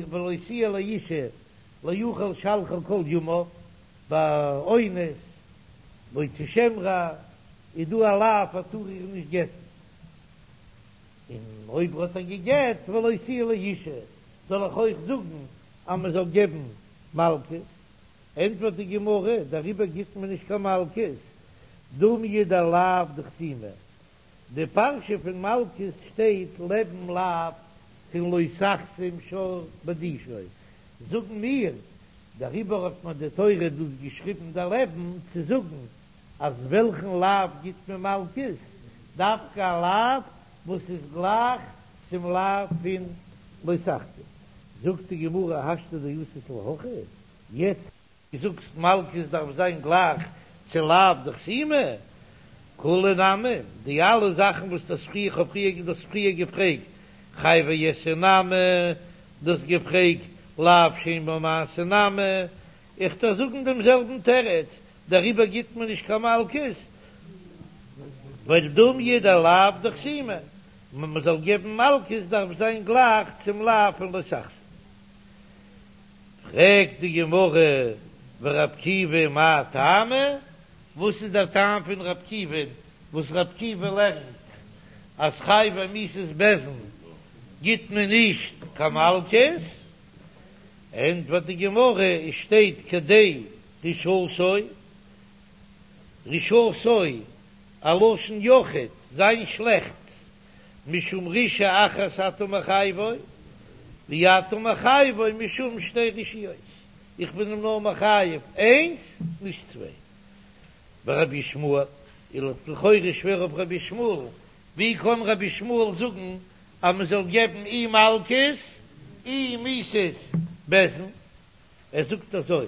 ולו תהיה לאשה לאכול שלחה כל ימיו, ביי אונס מוציא שם רע איז דא א לאו ער טאר איר נישט גט'ן, און אויב האט ער גע'גט ולו תהיה לאשה זאל איך אויך זאגן אז מען זאל געבן מלקות? ענטפערט די גמרא, דעריבער גיבט מען נישט קיין מלקות, דומיא דלאו דחתימה, די פרשה פון מלקות שטייט לעבן לאו פון לא תחסום שור בדישו, זאגן מיר, דעריבער האט מיר די תורה דאס געשריבן דערלעבן צו זאגן אז וועלכן לאו גיט מען מלקות, דווקא א לאו וואס איז גלייך צום לאו פון לא תחסום. זאגט די גמרא השתא דאתית להכי, יעצט. זאגסט מלקות דארף זיין גלייך צו לאו דחתימה, כולהו נמי, די אלע זאכן וואס דו האסט פריער, כ'האב פריער דו האסט פריער געפרעגט, חייבי עשה נמי, דו האסט געפרעגט לאו שאין בו מעשה נמי, איך דארף זאגן דעם זעלבן תירוץ, דעריבער גיט מען נישט קיין מלקות, ווייל דומיא דלאו דחתימה, מען זאל געבן מלקות דארף זיין גלייך צום לאו פון לא תחסום. פרעגט די גמרא ור' עקיבא מאי טעמא, וואס איז דער טעם פון ר' עקיבא'ן וואס ר' עקיבא לערנט אז חייבי מיתות בית דין גיט מען נישט קיין מלקות, ענטפערט די גמרא, עס שטייט כדי רשעתו, רשעתו א לשון יחיד, זיין שלעכטס, משום רשעה אחת אתה מחייבו, ואתה מחייבו משום שתי רשעיות, איך בין אים נאר מחייב איינס, נישט צוויי. ורבי ישמעאל, איז לכאורה שווער אויף רבי ישמעאל, ווי קען רבי ישמעאל זאגן אז מען זאל געבן אי מלקות אי מיתת בית דין? ער זאגט אזוי,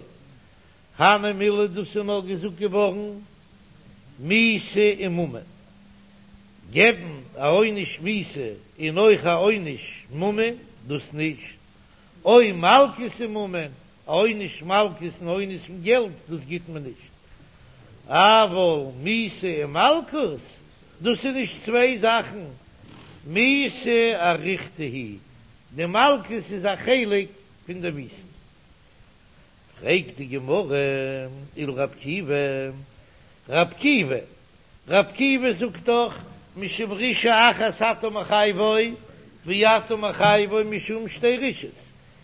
הני מילי דאס איז נאר געזאגט געווארן מיתה וממון, געבן א עונש מיתה און אויך א עונש ממון, דאס נישט, או מלקות וממון, א עונש מלקות און עונש פון געלט, דאס גיט מען נישט, אבל מיתה ומלקות, דאס איז נישט צוויי זאכן, מיתה אריכתא היא, די מלקות איז א חלק פון די מיתה. פרעגט די גמרא, ולרבי עקיבא, רבי עקיבא, רבי עקיבא זאגט דאך משום רשעה אחת אתה מחייבו ואתה מחייבו משום שתי רשעות,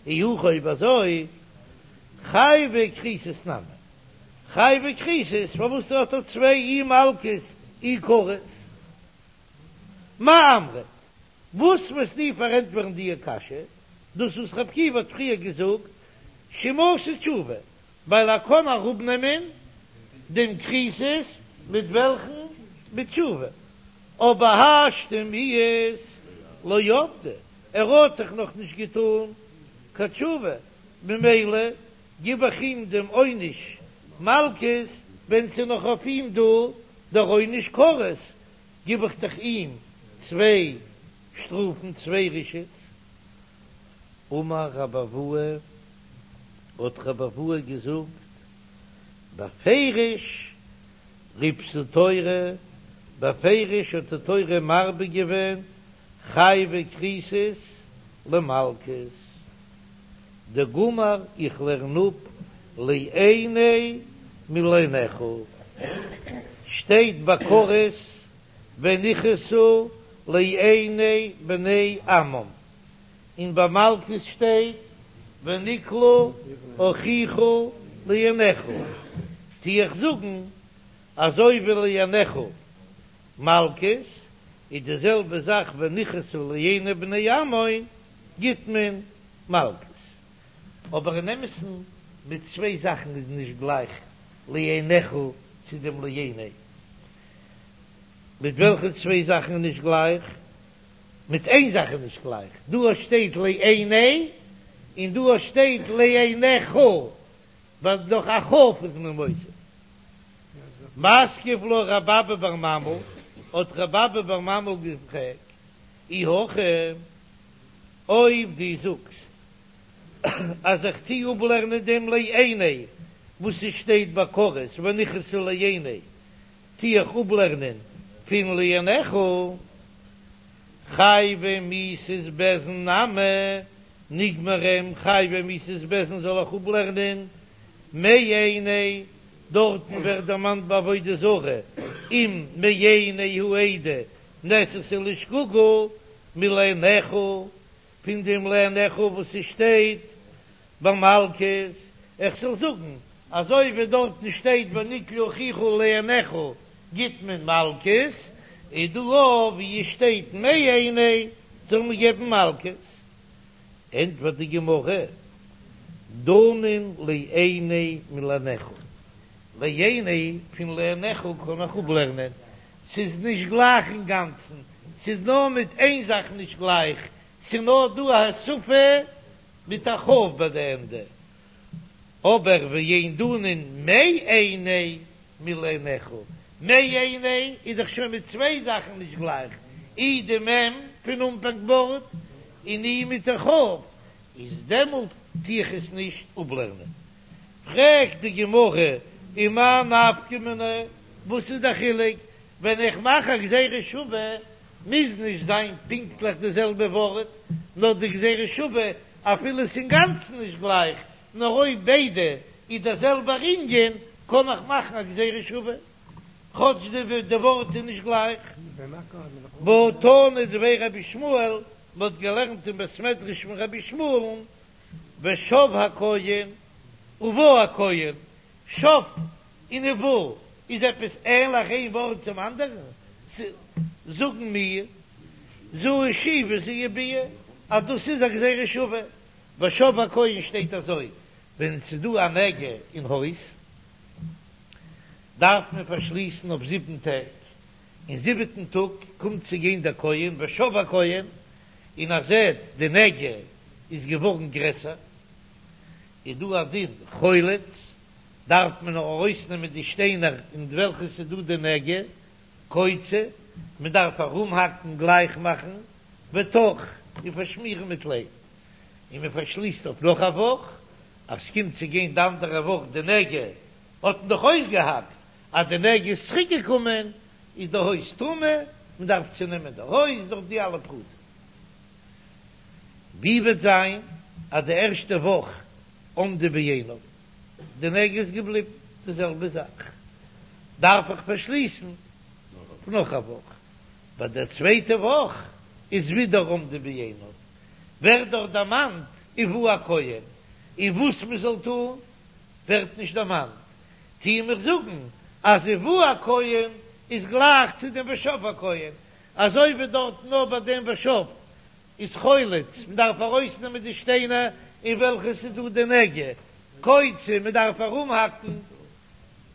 אי הכי אויב אזוי חייבי כריתות נמי, חייבי כריתות פארוואס האט ער צוויי אי מלקות אי כרת? מאי אמרת? וואס וועסטו פארענטפערן די קשיא? דאס וואס רבי עקיבא האט פריער געזאגט שאם עשה תשובה, ווייל ער קען אראפנעמען דעם כריתות מיט וועלכן? מיט תשובה, אבער השתא מיהת לא עבדא, ער האט דאך נאך נישט געטון קיין תשובה, ממילא גיב איך אים דעם עונש מלקות ווען ס'איז נאך אויף אים דא דער עונש כרת, גיב איך דאך אים צוויי שטראפן, צוויי רשעות. אמר רבי אבהו, האט רבי אבהו געזאגט, בפירוש ריבתה תורה, בפירוש האט די תורה מרבה געווען חייבי כריתות למלקות, דגמר איך לערן אפ לעיני מלעיניך, שטייט ביי כרת ונכרתו לעיני בני עמם, און ביי מלקות שטייט ונקלה אחיך לעיניך, טו איך זאגן אזוי ווי לעיניך מלקות איז די זעלבע זאך ונכרתו לעיני בני עמם גיט מען מלקות. אבער אין אמת'ן מיט צוויי זאכן איז נישט גלייך לעיניך צו דעם לעיני. מיט וועלכע צוויי זאכן איז נישט גלייך? מיט איין זאך איז נישט גלייך, דא שטייט לעיני און דא שטייט לעיניך, ווייל דאך א כ' איז מען מוסיף. מתקיף לה רב אבא בר ממל, האט רב אבא בר ממל געפרעגט, אי הכי, אויב דו זאגסט אז איך טוה אפלערנען דעם לעיני וואס עס שטייט ביי כרת ונכרתו לעיני, טוה איך אפלערנען פון לעיניך, חייבי מיתות בית דין נמי נגמרם חייבי מיתות בית דין זאל איך אפלערנען מעיני, דארטן ווערט דערמאנט ביי עבודה זרה אם מעיני העדה נעשתה לשגגה מלעיניך, פון דעם לעיניך וואס ס'שטייט ביי מלקות, איך זאל זאגן אזוי ווי דארטן שטייט ונקלה אחיך לעיניך גיט מען מלקות, איז דא אויך ווי עס שטייט מעיני זאל מען געבן מלקות. ענטפערט די גמרא, דנין לעיני מלעיניך, לעיני פון לעיניך קען איך אפלערנען, ס'איז נישט גלייך אינגאנצן, ס'איז נאר מיט איין זאך נישט גלייך, ס'איז נאר דא א הוספה מיט א כ' ביי די ענדע, אבער ואין דנין מעיני מלעיניך, מעיני איז דאך שוין מיט צוויי זאכן נישט גלייך, אי די מ' פון אנפאנג ווארט און אי מיט די כ', איז דעמאלט טו איך עס נישט אפלערנען. פרעגט די גמרא, ומאי נפקא מינה, וואס איז די חילוק, ווען איך מאך א גזירה שווה מוז נישט זיין פונקטליך די זעלבע ווארט, נאר די גזירה שווה אפילו עס איז אינגאנצן נישט גלייך, נאר אויב ביידע איז דער זעלבער ענין קען איך מאכן א גזירה שווה כאטש די ווארט איז נישט גלייך. והא תנא דבי רבי ישמעאל, מ'האט געלערנט אין בית מדרש פון רבי ישמעאל'ן ושב הכהן ובא הכהן, שב און ובא איז עפעס ענליך איין ווארט צום אנדערן? זאגן מיר זו שיבה זו ביאה אז דאס איז א גזירה שווה, ושב הכהן שטייט אזוי ווען ס'איז דא א נגע אין הויז דארף מען פארשליסן אויף זיבן טעג, אין זיבעטן טאג קומט צו גיין דער כהן ושב הכהן און ער זעט די נגע איז געווארן גרעסער, איז דא א דין חולץ, דארף מען ארויסנעמען די שטיינער אין וועלכע ס'איז דא די נגע, קוצה, מען דארף ארומהאקן גלייך מאכן, וטח, און פארשמירן מיט ליים, און מען פארשליסט אויף נאך א וואך, אז ס'קומט צו גיין די אנדערע וואך די נגע האט מען דאך אויסגעהאקט, אז די נגע איז צוריק געקומען איז די הויז טמא, מען דארף צונעמען די הויז דורך די אלע פרטים. ווי וועט זיין אז די ערשטע וואך עמדה בעינה, די נגע איז געבליבן די זעלבע זאך, דארף איך פארשליסן נאך א וואך, ביי דער צווייטע וואך איז ווידער עמדה בעינה, ווערט דארט דערמאנט ובא הכהן, און וואס מען זאל טון ווערט נישט דערמאנט, טוען מיר זאגן אז ובא הכהן איז גלייך צו דעם ושב הכהן, אזוי ווי דארט נאר ביי דעם ושב איז חולץ, מען דארף ארויסנעמען די שטיינער אין וועלכע ס'איז דא די נגע, קוצה, מען דארף ארומהאקן,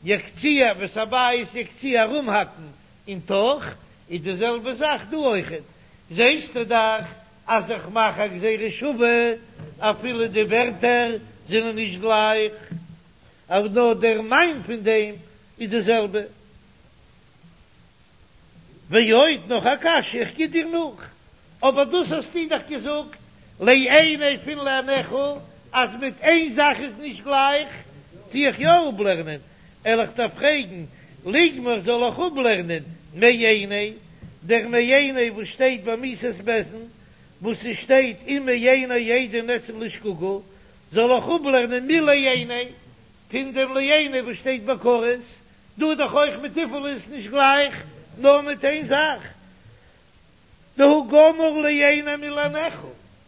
יקציע ואת הבית יקציע ארומהאקן און טח, איז די זעלבע זאך דא אויכעט, זעסטו דאך אז איך מאך א גזירה שווה אפילו די ווערטער זענען נישט גלייך, אבער נאר דער מיין פון דעם איז די זעלבע. ועוד נאך א קשיא, איך גיב דיר נאך, אבער דאס האסטו דאך געזאגט לעיני פון לעיניך, אז מיט איין זאך איז נישט גלייך, טו איך יא אפלערנען, וועל איך דיר פרעגן, ליגמר זאל איך אפלערנען מעיני, דער מעיני וואס שטייט ביי מיתת בית דין, וואס ס'שטייט אם מעיני עדים נעשין לשגגה, זאל איך אפלערנען מלעיני, פון דעם לעיני וואס שטייט ביי כרת, דא איז דאך אויך מיט וויפיל איז נישט גלייך, נאר מיט איין זאך, דהא גמר לעיני מלעיניך,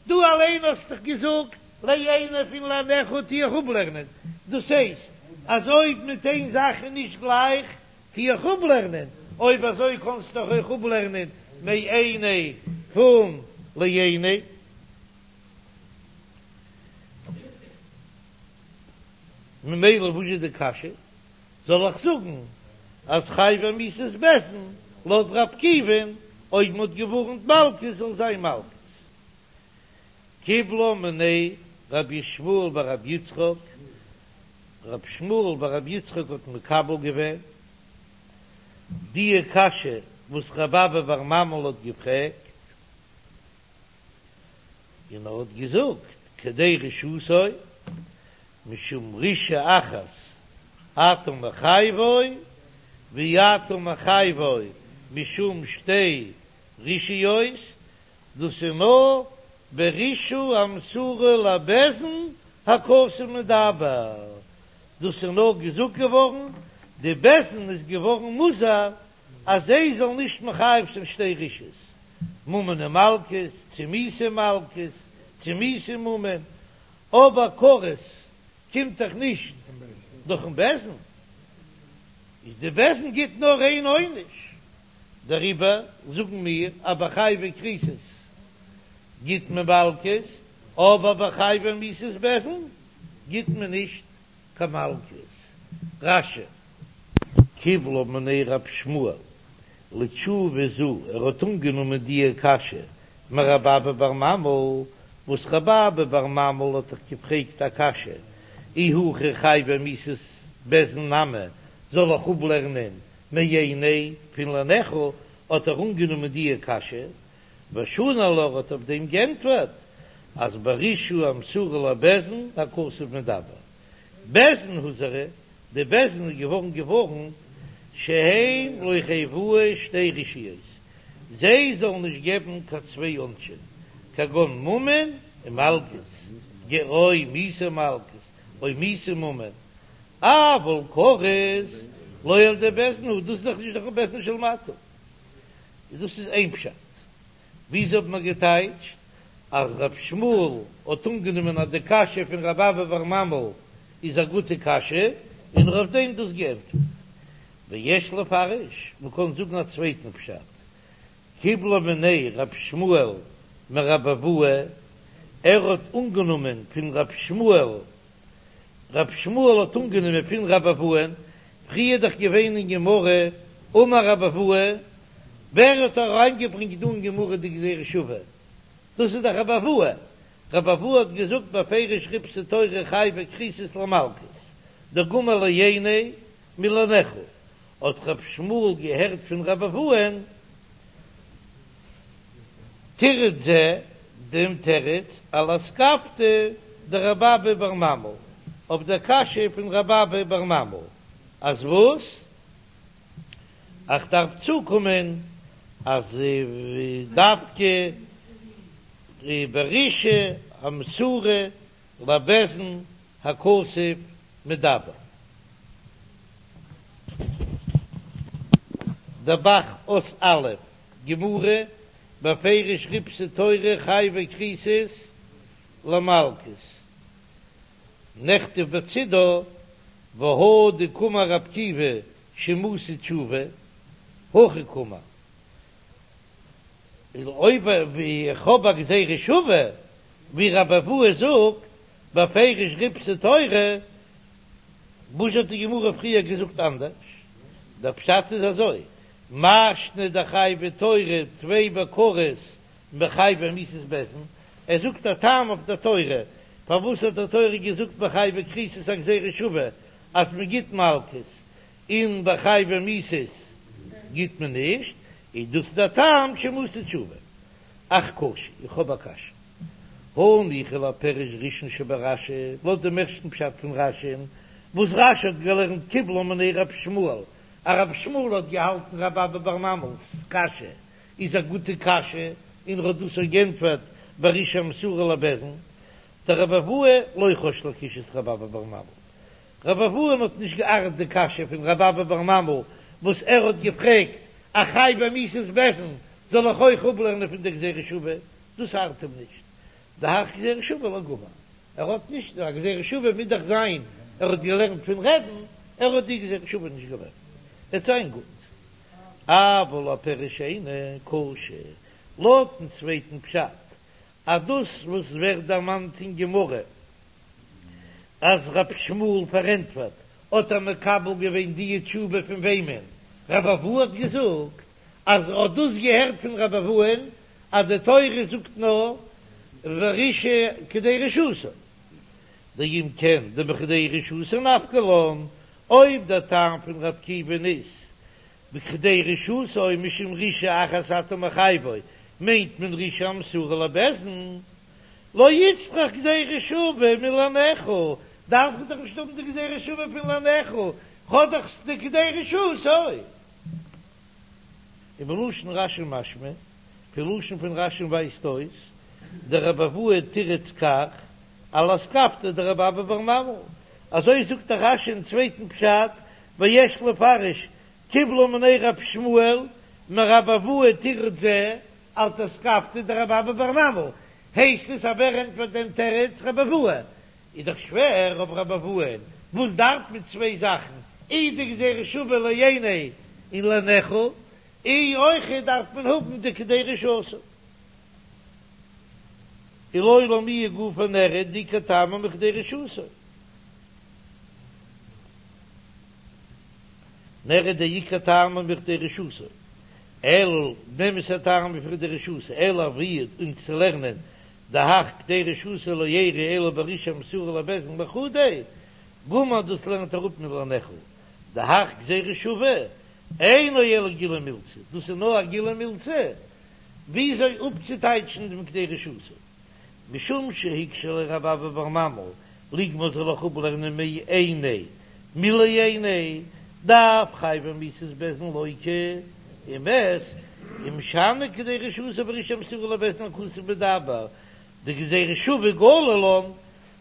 דו אליין האסט דאך געזאגט לעיני פון לעיניך טו איך אפלערנען, דאס הייסט אז אויב מיט איין זאך איז נישט גלייך טו איך אפלערנען, אויב אזוי קאנסטו דאך אויך אפלערנען מעיני פון לעיני. ממילא וואס איז די קשיא? זאל איך זאגן אז חייבי מיתות בית דין לויט ר' עקיבא'ן אויב מ'האט געווארנט מלקות זאל זיין מלקות? קיבלה מיניה רבי ישמעאל בר רבי יצחק, רבי ישמעאל בר רבי יצחק האט מקבל געווען די קשיא וואס רב אבא בר ממל האט געפרעגט, און ער האט געזאגט כדי רשעותו משום רשעה אחת אתה מחייבו ואי אתה מחייבו משום שתי רשעיות, דאס איז נאר ברשעה המסורה לבית דין הכתוב מדבר, דאס איז נאר געזאגט געווארן די בית דין איז געווארן מוזהר אז זיי זאלן נישט מחייב זיין שתי רשעיות, ממון ומלקות, צו מיתה ומלקות, צו מיתה וממון, אבער כרת קומט דאך נישט דורכן בית דין, איז די בית דין גיט נאר איין עונש, דעריבער זאגן מיר אז ביי חייבי כריתות גיט מען מלקות, אבער ביי חייבי מיתות בית דין גיט מען נישט קיין מלקות. רש"י. קיבלה מיניה רב שמואל לתשובה זו, ער האט אנגענומען דיע קשיא מרב אבא בר ממל, וואס רב אבא בר ממל האט דאך געפרעגט א קשיא, אי הכי חייבי מיתות בית דין נמי, זאל איך אפלערנען מעיני פון לעיניך, האט ער אנגענומען דיע קשיא, ושני לה האט אויף דעם גענטפערט אז ברשעה המסורה לבית דין הכתוב מדבר, בית דין הוזהרו, די בית דין איז געווארן געווארנט שהם לא יחייבוהו שתי רשעיות, זיי זאלן נישט געבן קיין צוויי עונשים, כגון ממון ומלקות, או מיתה ומלקות, או מיתה וממון, אבל כרת לא על ידי בית דין הוא, דאס איז דאך נישט דורכן בית דין של מטה, דאס איז איין פשט, וויאזוי האט מען געטייטשט? אז רב שמואל האט אנגענומען אז די קשיא פון רב אבא בר ממל איז א גוטע קשיא, און ער האט אויף דעם דאס געענטפערט. ויש לפרש, מ'קען זאגן א צווייטן פשט, קיבלה מיניה רב שמואל מרב אבהו, ער האט אנגענומען פון רב שמואל, רב שמואל האט אנגענומען פון רב אבהו'ן, פריער דאך געווען אין גמרא אמר רב אבהו, ווער האט אריינגעברענגט דא אין גמרא די גזירה שוה? דאס איז דאך רב אבהו, רב אבהו האט געזאגט בפירוש ריבתה תורה חייבי כריתות למלקות, דגמר לעיני מלעיניך, האט רב שמואל געהערט פון רב אבהו'ן תירוץ זה, דעם תירוץ על אתכפיא דרב אבא בר ממל, אויף דער קשיא פון רב אבא בר ממל, אז וואס? איך דארף צוקומען אז דווקא ברשעה המסורה לבית דין הכתוב מדבר. דער ב"ח אות א', גמרא, בפירוש ריבתה תורה חייבי כריתות למלקות, נכתב בצידה והא דקאמר רבי עקיבא שמעתי תשובה, הכי קאמר, אויב איך האב א גזירה שוה, ווי רבי אבהו זאגט בפירוש ריבתה תורה, וואס האט די גמרא פריער געזאגט אנדערש? דער פשט איז אזוי, מאי שנא דחייבי תורה טפי בכרת מחייבי מיתות בית דין, ער זאגט א טעם אויף דער תורה, פארוואס האט די תורה געזאגט ביי חייבי כריתות א גזירה שוה אז מען גיט מלקות און ביי חייבי מיתות גיט מען נישט, איז דאס דער טעם שמעתי תשובה. אך קשה, איך האב א קשיא. הניחא לפירוש ראשון שברש"י, לויט דעם ערשטן פשט פון רש"י'ן, וואס רש"י האט געלערנט קיבלה מיניה רב שמואל, אז רב שמואל האט געהאלטן רב אבא בר ממל'ס קשיא איז א גוטע קשיא, און ער האט דאס געענטפערט ברשעה המסורה לבית דין, דרב אבהו לא חש לקושיית רב אבא בר ממל. רב אבהו האט נישט געארט די קשיא פון רב אבא בר ממל וואס ער האט געפרעגט א חייבי מיתות בית דין זאל איך אויך אפלערנען פון די גזירה שוה, דאס ארט אים נישט, דהך גזירה שוה לא גמר, ער האט נישט, א גזירה שוה מוז דאך זיין ער האט געלערנט פון רבי'ן, ער האט די גזירה שוה נישט געלערנט, וועט זיין גוט. אבל לפירוש שני קשה, לויטן צווייטן פשט אז דאס וואס ווערט דערמאנט אין גמרא אז רב שמואל פארענטפערט, האט ער מקבל געווען די תשובה פון וועמען? רב אבהו האט געזאגט אז ער האט דאס געהערט פון רב אבהו'ן אז די תורה זאגט נאר ברשעה כדי רשעתו, דאם כן דמכדי רשעתו נפקא לן, אויב דער טעם פון רב עקיבא'ן איז בכדי רשעתו משום רשעה אחת אתה מחייבו, מיינט מען רשעה המסורה לבית דין, לא איצטריך גזירה שוה מלעיניך, דארף איך דאך נישט האבן די גזירה שוה פון לעיניך, כ'האב דאך די כדי רשעתו. ומלשון רש"י משמע, פון לשון פון רש"י ווייזט אויס, דרב אבהו תירץ כך, על אתכפיא דרב אבא בר ממל, אזוי זאגט דער רש"י אין צווייטן פשט, ויש לפרש קיבלה מיניה רב שמואל מרב אבהו תירוץ זה על אתכפיא דרב אבא בר ממל, הייסט עס אז ווער ענטפערט דעם תירוץ רב אבהו? איז דאך שווער אויף רב אבהו, וואס דארף מען צוויי זאכן, אי די גזירה שוה לעיני און לעיניך, אי אויך דארף מען האבן די כדי רשעתו. ולעולם איהו גופא נראה דעיקר טעמא מכדי רשעתו. נראה דעיקר טעמא מכדי רשעתו, אלא דאמת'ע טעם מכדי רשעתו, אלא ווי אונז צו לערנען דהך כדי רשעתו לא איריא אלא ברשעה המסורה לבית דין לחודיה, גמר דאס לערנט ער אפ מלעיניך, דהך גזירה שוה, אינו אלא גילוי מילתא, דאס איז נאר א גילוי מילתא, וויאזוי אפצוטייטשן דעם כדי רשעתו. משום שהקשה ליה רב אבא בר ממל, לגמור זאל איך אפלערנען מעיני מלעיני, דאף חייבי מיתות בית דין לוקה ומת, ומשני כדי רשעתו ברשעה המסורה לבית דין הכתוב מדבר, די גזירה שוה גלי לן,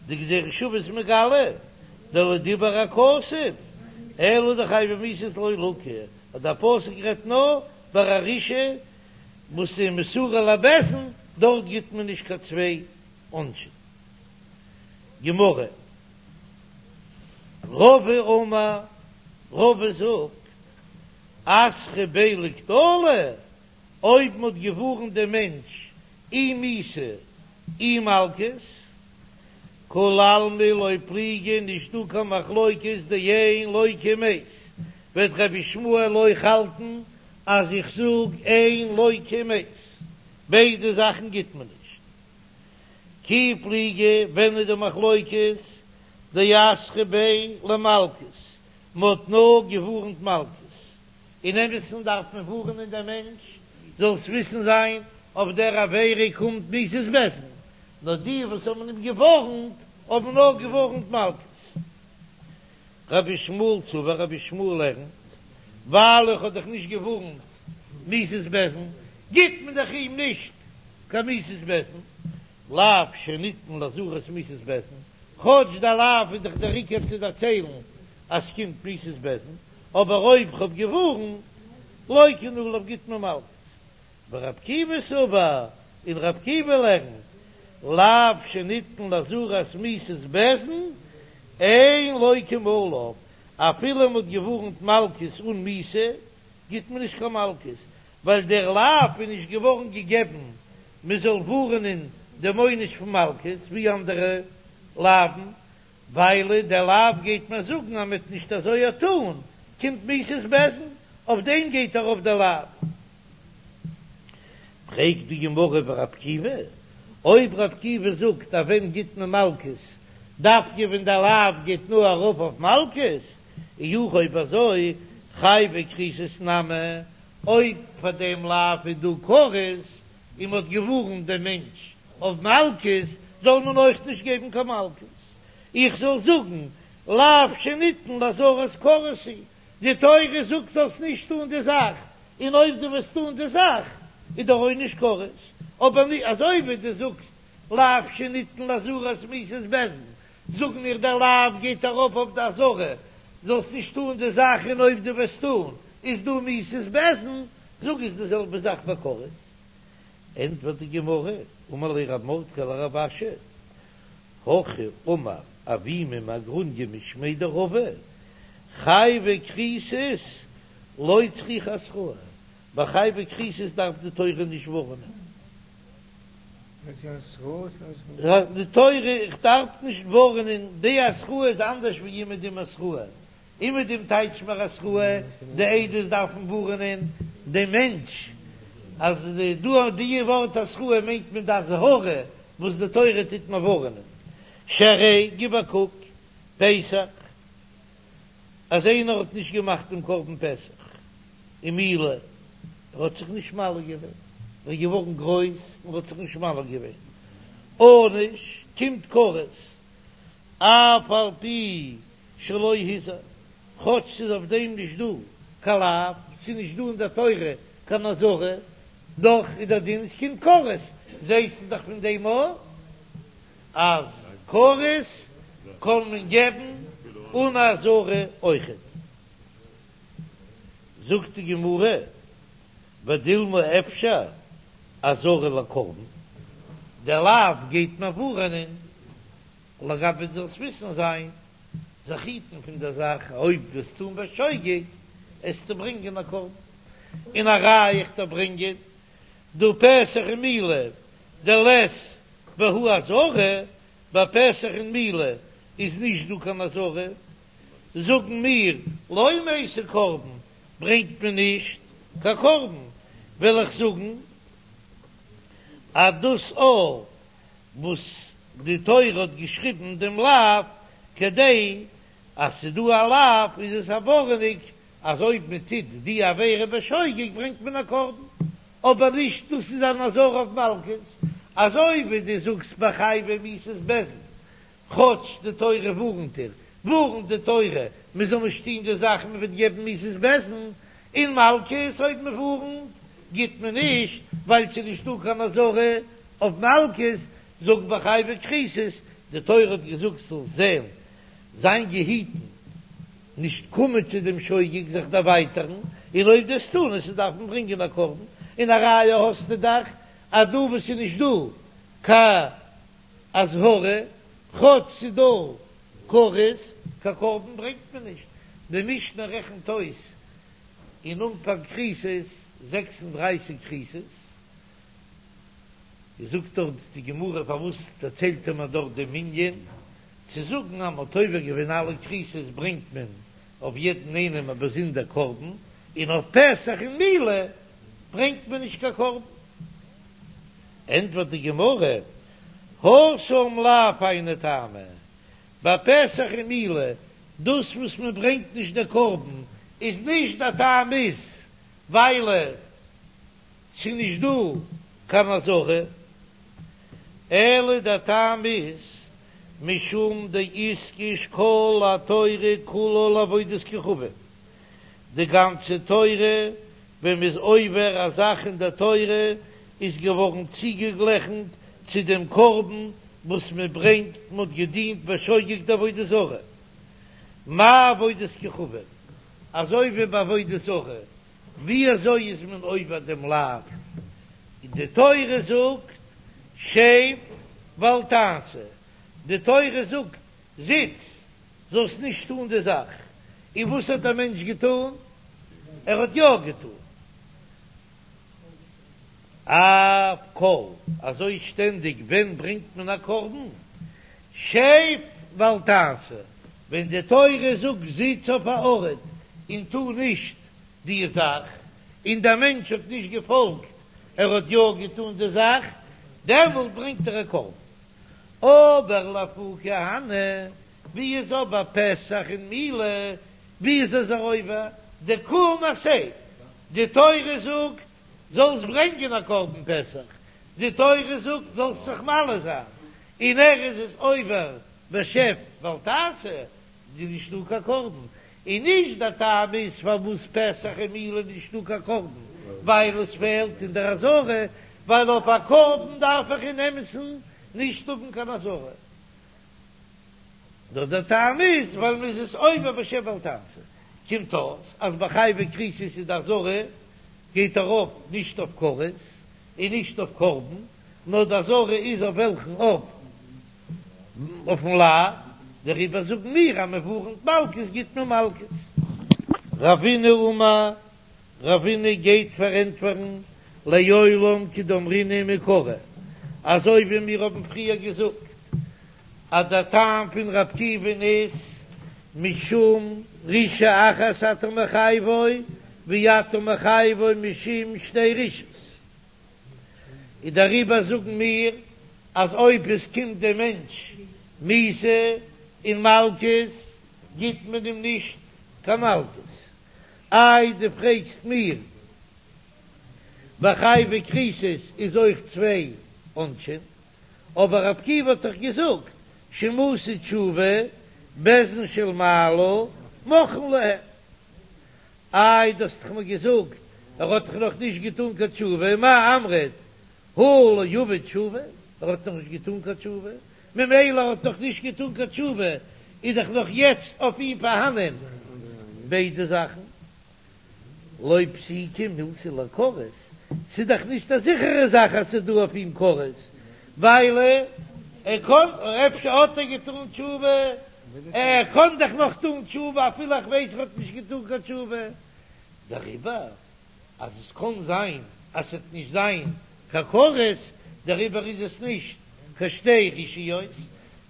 די גזירה שוה איז מגלה, דלא דיבר הכתוב, אלא דחייבי מיתות לא לוקה, אז דער פסוק רעדט נאר ביי א רשעה וואס איז מסורה לבית דין דארט גיט מען נישט קיין צוויי עונשים. גמרא, רבא אמר, רבא זאגט, אתרו ביה לקטלא, אויב מ'האט געווארנט דעם מענטש אי מיתה אי מלקות, כולי עלמא לא פליגי, נישט דא קיין מחלוקת דאין לוקין מת, וועט רבי ישמעאל אויך האלטן אז איך זאג אין לוקין מת, ביידע זאכן גיט מען נישט. כי פליגי, ווען איז די מחלוקת? דאתרו ביה למלקות, מ'האט נאר געווארנט מלקות, אין אמת'ן דארף מען ווארענען דעם מענטש זאלסט וויסן זיין אויף דער עבירה קומט מיתת בית דין, נאר די וואס האבן אים געווארנט האבן נאר געווארנט מלקות. רבי ישמעאל סבר רבי ישמעאל לערנט, ווייל איך האב דאך נישט געווארנט מיתת בית דין, גיט מען דאך אים נישט קיין מיתת בית דין, לאו שניתן לאזהרת מיתת בית דין, כאטש דער לאו איז דאך דער עיקר צו דערציילן אז ס'קומט מיתת בית דין, אבער אויב כ'האב געווארנט, לוקין עליו גיט מען מלקות. ורבי עקיבא סבר, און רבי עקיבא לערנט, לאו שניתן לאזהרת מיתת בית דין, אין לוקין עליו, אפילו מ'האט געווארנט מלקות אן מיתה, גיט מען נישט קיין מלקות, ווייל דער לאו איז נישט געווארן געגעבן מ'זאל ווארענען דעם עונש פון מלקות, ווי אנדערע לאוו'ן, ווייל דער לאו גייט מיר זאגן אז מ'וועט נישט אזוי א טאן, קומט מיתת בית דין, אויף דעם גייט ארויף דער לאו. פרעגט די גמרא ורבי עקיבא, אויב רבי עקיבא זאגט אז ווען גיט מען מלקות, דווקא ווען דער לאו גייט נאר ארויף אויף מלקות, אי הכי אויב אזוי חייבי כריתות נמי, אויב פאר דעם לאו איז דא כרת און מ'האט געווארנט דעם מענטש אויף מלקות זאל מען אויך נישט געבן קיין מלקות, איך זאל זאגן לאו שניתן לאזהרת כרת הוא, די תורה זאגט זאלסט נישט טון די זאך, און אויב דו וועסט טון די זאך איז דער עונש כרת, אבער נישט אזוי ווי דו זאגסט לאו שניתן לאזהרת מיתת בית דין, זאג מיר דער לאו גייט ארויף אויף די אזהרה זאלסט נישט טון די זאך און אויב דו וועסט טון איז דא מיתת בית דין, זאג איז די זעלבע זאך ביי כרת. ענטפערט די גמרא, אמר ליה רב מרדכי לרב אשי, הכי אמר אבימי מהגרוניא משמיה דרבא, חייבי כריתות לא צריכי התראה, ביי חייבי כריתות דארף די תורה נישט ווארענען. די תורה, איך דארף נישט ווארענען, די התראה איז אנדערש ווי אומעדום התראה, אומעדום טייטש מיר התראה, די עדות דארפן ווארענען דעם מענטש אז דא די ווארט התראה מיינט מען די אזהרה וואס די תורה טוט מיר ווארענען, שהרי גיב א קוק פסח אז איינער האט נישט געמאכט דעם קרבן פסח ומילה ער האט זיך נישט מל געווען, ער איז געווארן גרויס און האט זיך נישט מל געווען, ענוש קומט כרת אף על פי שלא הזהיר, כאטש ס'איז אויף דעם נישט דא קיין לאו, ס'איז נישט דא אין דער תורה קיין אזהרה, דאך איז דער דין ס'קומט כרת, זעסטו דאך פון דעם אויך אז כרת קען מען געבן אן אזהרה אויכעט. זאגט די גמרא, ודילמא אפשר אזהרה לקרבן, דער לאו גייט מיר ווארענען לגבי זאלסט וויסן זיין, זיך היטן פון דער זאך, אויב וועסט טון בשוגג, עסטו ברענגען א קרבן, און א ראיה איך דיר ברענגען, דהא פסח ומילה דלית בהו אזהרה, ביי פסח און מילה איז נישט דא קיין אזהרה, זאגן מיר לא מייתי קרבן, ברענגט מען נישט קיין קרבן, וועל איך זאגן אז דאס אויך וואס די תורה האט געשריבן דעם לאו כדי אז ס'איז דא א לאו איז עס א ווארענונג אז אויב מען טוט די עבירה בשוגג ברענגט מען א קרבן, אבער נישט דאס איז אן אזהרה אויף מלקות, אזוי ווי דו זאגסט ביי חייבי מיתות בית דין כאטש די תורה ווארנט דיר, ווארנט די תורה מען זאל נישט טון די זאך מען וועט געבן מיתת בית דין, און מלקות אויב מען ווארנט גיט מען נישט ווייל ס'איז נישטא קיין אזהרה אויף מלקות, זאג ביי חייבי כריתות, די תורה האט געזאגט זאלסט זען זיין געהיטן נישט קומען צו דעם שוגג זיך דערווייטערן, און אויב דו וועסט טון עסטו דארפן ברענגען א קרבן, און א ראיה האסטו דאך אז דא וואס ס'איז נישט דא קיין אזהרה, כאטש ס'איז דא כרת, קיין קרבן ברענגט מען נישט. די משנה רעכנט אויס אין אנפאנג כריתות זעקס און דרײַסיק כריתות, זאגט דארט די גמרא פארוואס דערציילט ער מיר דארט דעם מנין, צו זאגן אז מ'האט עובר געווען אלע כריתות ברענגט מען אויף יעדן איינעם א באזונדער קרבן, און אויף פסח און מילה ברענגט מען נישט קיין קרבן. ענטפערט די גמרא, התם לאו היינו טעמא, ביי פסח און מילה דאס וואס מען ברענגט נישט דער קרבן איז נישט דער טעם איז ווייל ס'איז נישט דא קיין אזהרה, אלא דער טעם איז משום דאיתקש כל התורה כולה לעבודת כוכבים, די גאנצע תורה ווען מ'איז עובר א זאך אין דער תורה איז געווארן צוגעגלעכנט צו דעם קרבן וואס מען ברענגט, מען האט געדינט בשוגג די עבודה זרה, מה עבודת כוכבים, אזוי ווי ביי עבודה זרה, ווי אזוי איז מען עובר דעם לאו, און די תורה זאגט שב ואל תעשה, די תורה זאגט זיץ, זאלסט נישט טון די זאך, און וואס האט דער מענטש געטון? ער האט יא געטון. אף כל, אזוי שטענדיג ווען ברענגט מען א קרבן? שב ואל תעשה, ווען די תורה זאגט זיץ אויף א ארט און טו נישט די זאך, און דער מענטש האט נישט געפאלגט, ער האט יא געטון די זאך, דעמאלט ברענגט ער א קרבן. אבער לאפוקי הני, ווי איז אבער פסח און מילה, ווי איז ער עובר? דקום עשה, די תורה זאגט זאלסט ברענגען א קרבן פסח, די תורה זאגט זאלסט זיך מל זיין, און ער איז עס עובר בשב ואל תעשה, איז נישטא קיין קרבן, און נישט דער טעם איז פארוואס פסח און מילה איז נישטא קיין קרבן, ווייל עס פעלט אין דער אזהרה, ווייל אויף א קרבן דארף איך אין אמת'ן נישט האבן קיין אזהרה. נאר דער טעם איז ווייל מען איז עס עובר בשב ואל תעשה, קומט אויס אז ביי חייבי כריתות איז די אזהרה גייט ארויף נישט אויף כרת און נישט אויף קרבן, נאר די אזהרה איז אויף וועלכן אויף אויפן לאו, דעריבער זאגן מיר אז מען ווארענט מלקות גיט מען מלקות. רבינא אמר, רבינא גייט פארענטפערן לעולם כדאמרינן מעיקרא, אזוי ווי מיר האבן פריער געזאגט אז דער טעם פון רבי עקיבא'ן איז משום רשעה אחת אתה מחייבו ואתה מחייבו משום שתי רשעות, און דעריבער זאגן מיר אז אויב עס קומט דעם מענטש מיתה און מלקות גיט מען אים נישט קיין מלקות. איי דו פרעגסט מיר ביי חייבי כריתות איז אויך צוויי עונשים, אבער רבי עקיבא האט דאך געזאגט שאם עשו תשובה בית דין של מעלה מוחלין להם. איי דו האסט דאך מיר געזאגט ער האט דאך נאך נישט געטאן קיין תשובה, מאי אמרת הא לא עביד תשובה, ער האט נאך נישט געטאן קיין תשובה, ממילא ער האט נאך נישט געטאן קיין תשובה איז דאך נאך יעצט אויף אים פארהאנען ביידע זאכן. לא פסיקא מילתא לכרת, ס'איז דאך נישט א זיכערע זאך אז ס'איז דא אויף אים כרת, ווייל ער קען, אפשר האט ער געטאן תשובה, ער קען דאך נאך טאן תשובה אפילו איך ווייס ער האט נישט געטאן קיין תשובה, דעריבער אז עס קען זיין אז ס'וועט נישט זיין קיין כרת, דעריבער איז עס נישט קיין שתי רשעיות,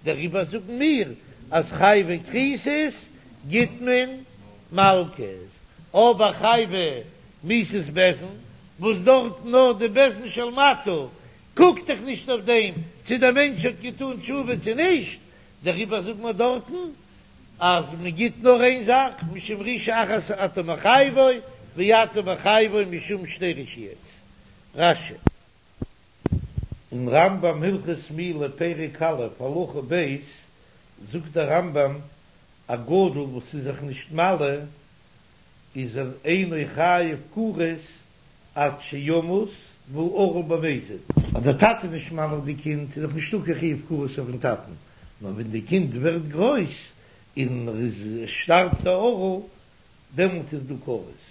דעריבער זאגן מיר אז חייבי כריתות גיט מען מלקות, אבער חייבי מיתות בית דין, וואס דארט נאר די בית דין של מטה קוקט דאך נישט אויף דעם צו דער מענטש האט געטאן תשובה צו נישט, דעריבער זאגט מען דארטן אז מען גיט נאר איין זאך, משום רשעה אחת אתה מחייבו ואתה מחייבו משום שתי רשעיות. רש"י. אין רמב"ם הלכות מילה פרק א' הלכה ב' זאגט דער רמב"ם א גדול וואס איז זיך נישט מל איז ער אינו חייב כרת עד שימות והוא ערל במזיד. אז דער טאטע איז נישט מל די קינד איז דאך נישטא קיין חיוב כרת אויפן טאטן, נאר ווען די קינד ווערט גרויס און ער איז שטארבט א ערל דעמאלט איז דא כרת.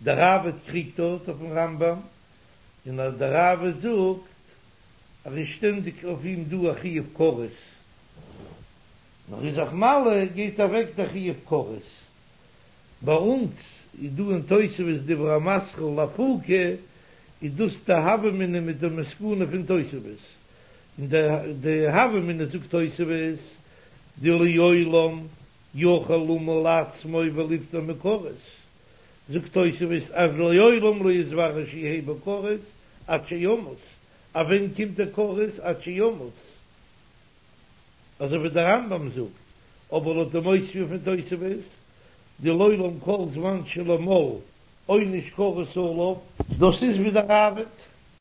דער ראב"ד קריגט דארט אויפן רמב"ם און אז דער ראב"ד זאגט אז איז שטענדיג אויף אים דא א חיוב כרת, נאר איז זיך מל גייט אוועק דער חיוב כרת. ביי אונז איז דא אין תוספות דיבור המתחיל לאפוקי, איז דאס די הוה אמינא מיט די מסקנא פון תוספות, און די הוה אמינא זאגט תוספות דלעולם יכול למול עצמו וליפטר מכרת, זאגט תוספות אז לעולם לא יתברר שיהא בו כרת עד שימות, אז ווען קומט דער כרת עד שימות? אזוי ווי דער רמב"ם זאגט, אבער לויט די מותיב פון תוספות, דלעולם כל זמן שלא מל עונש כרת עליו, דאס איז ווי דער ראב"ד.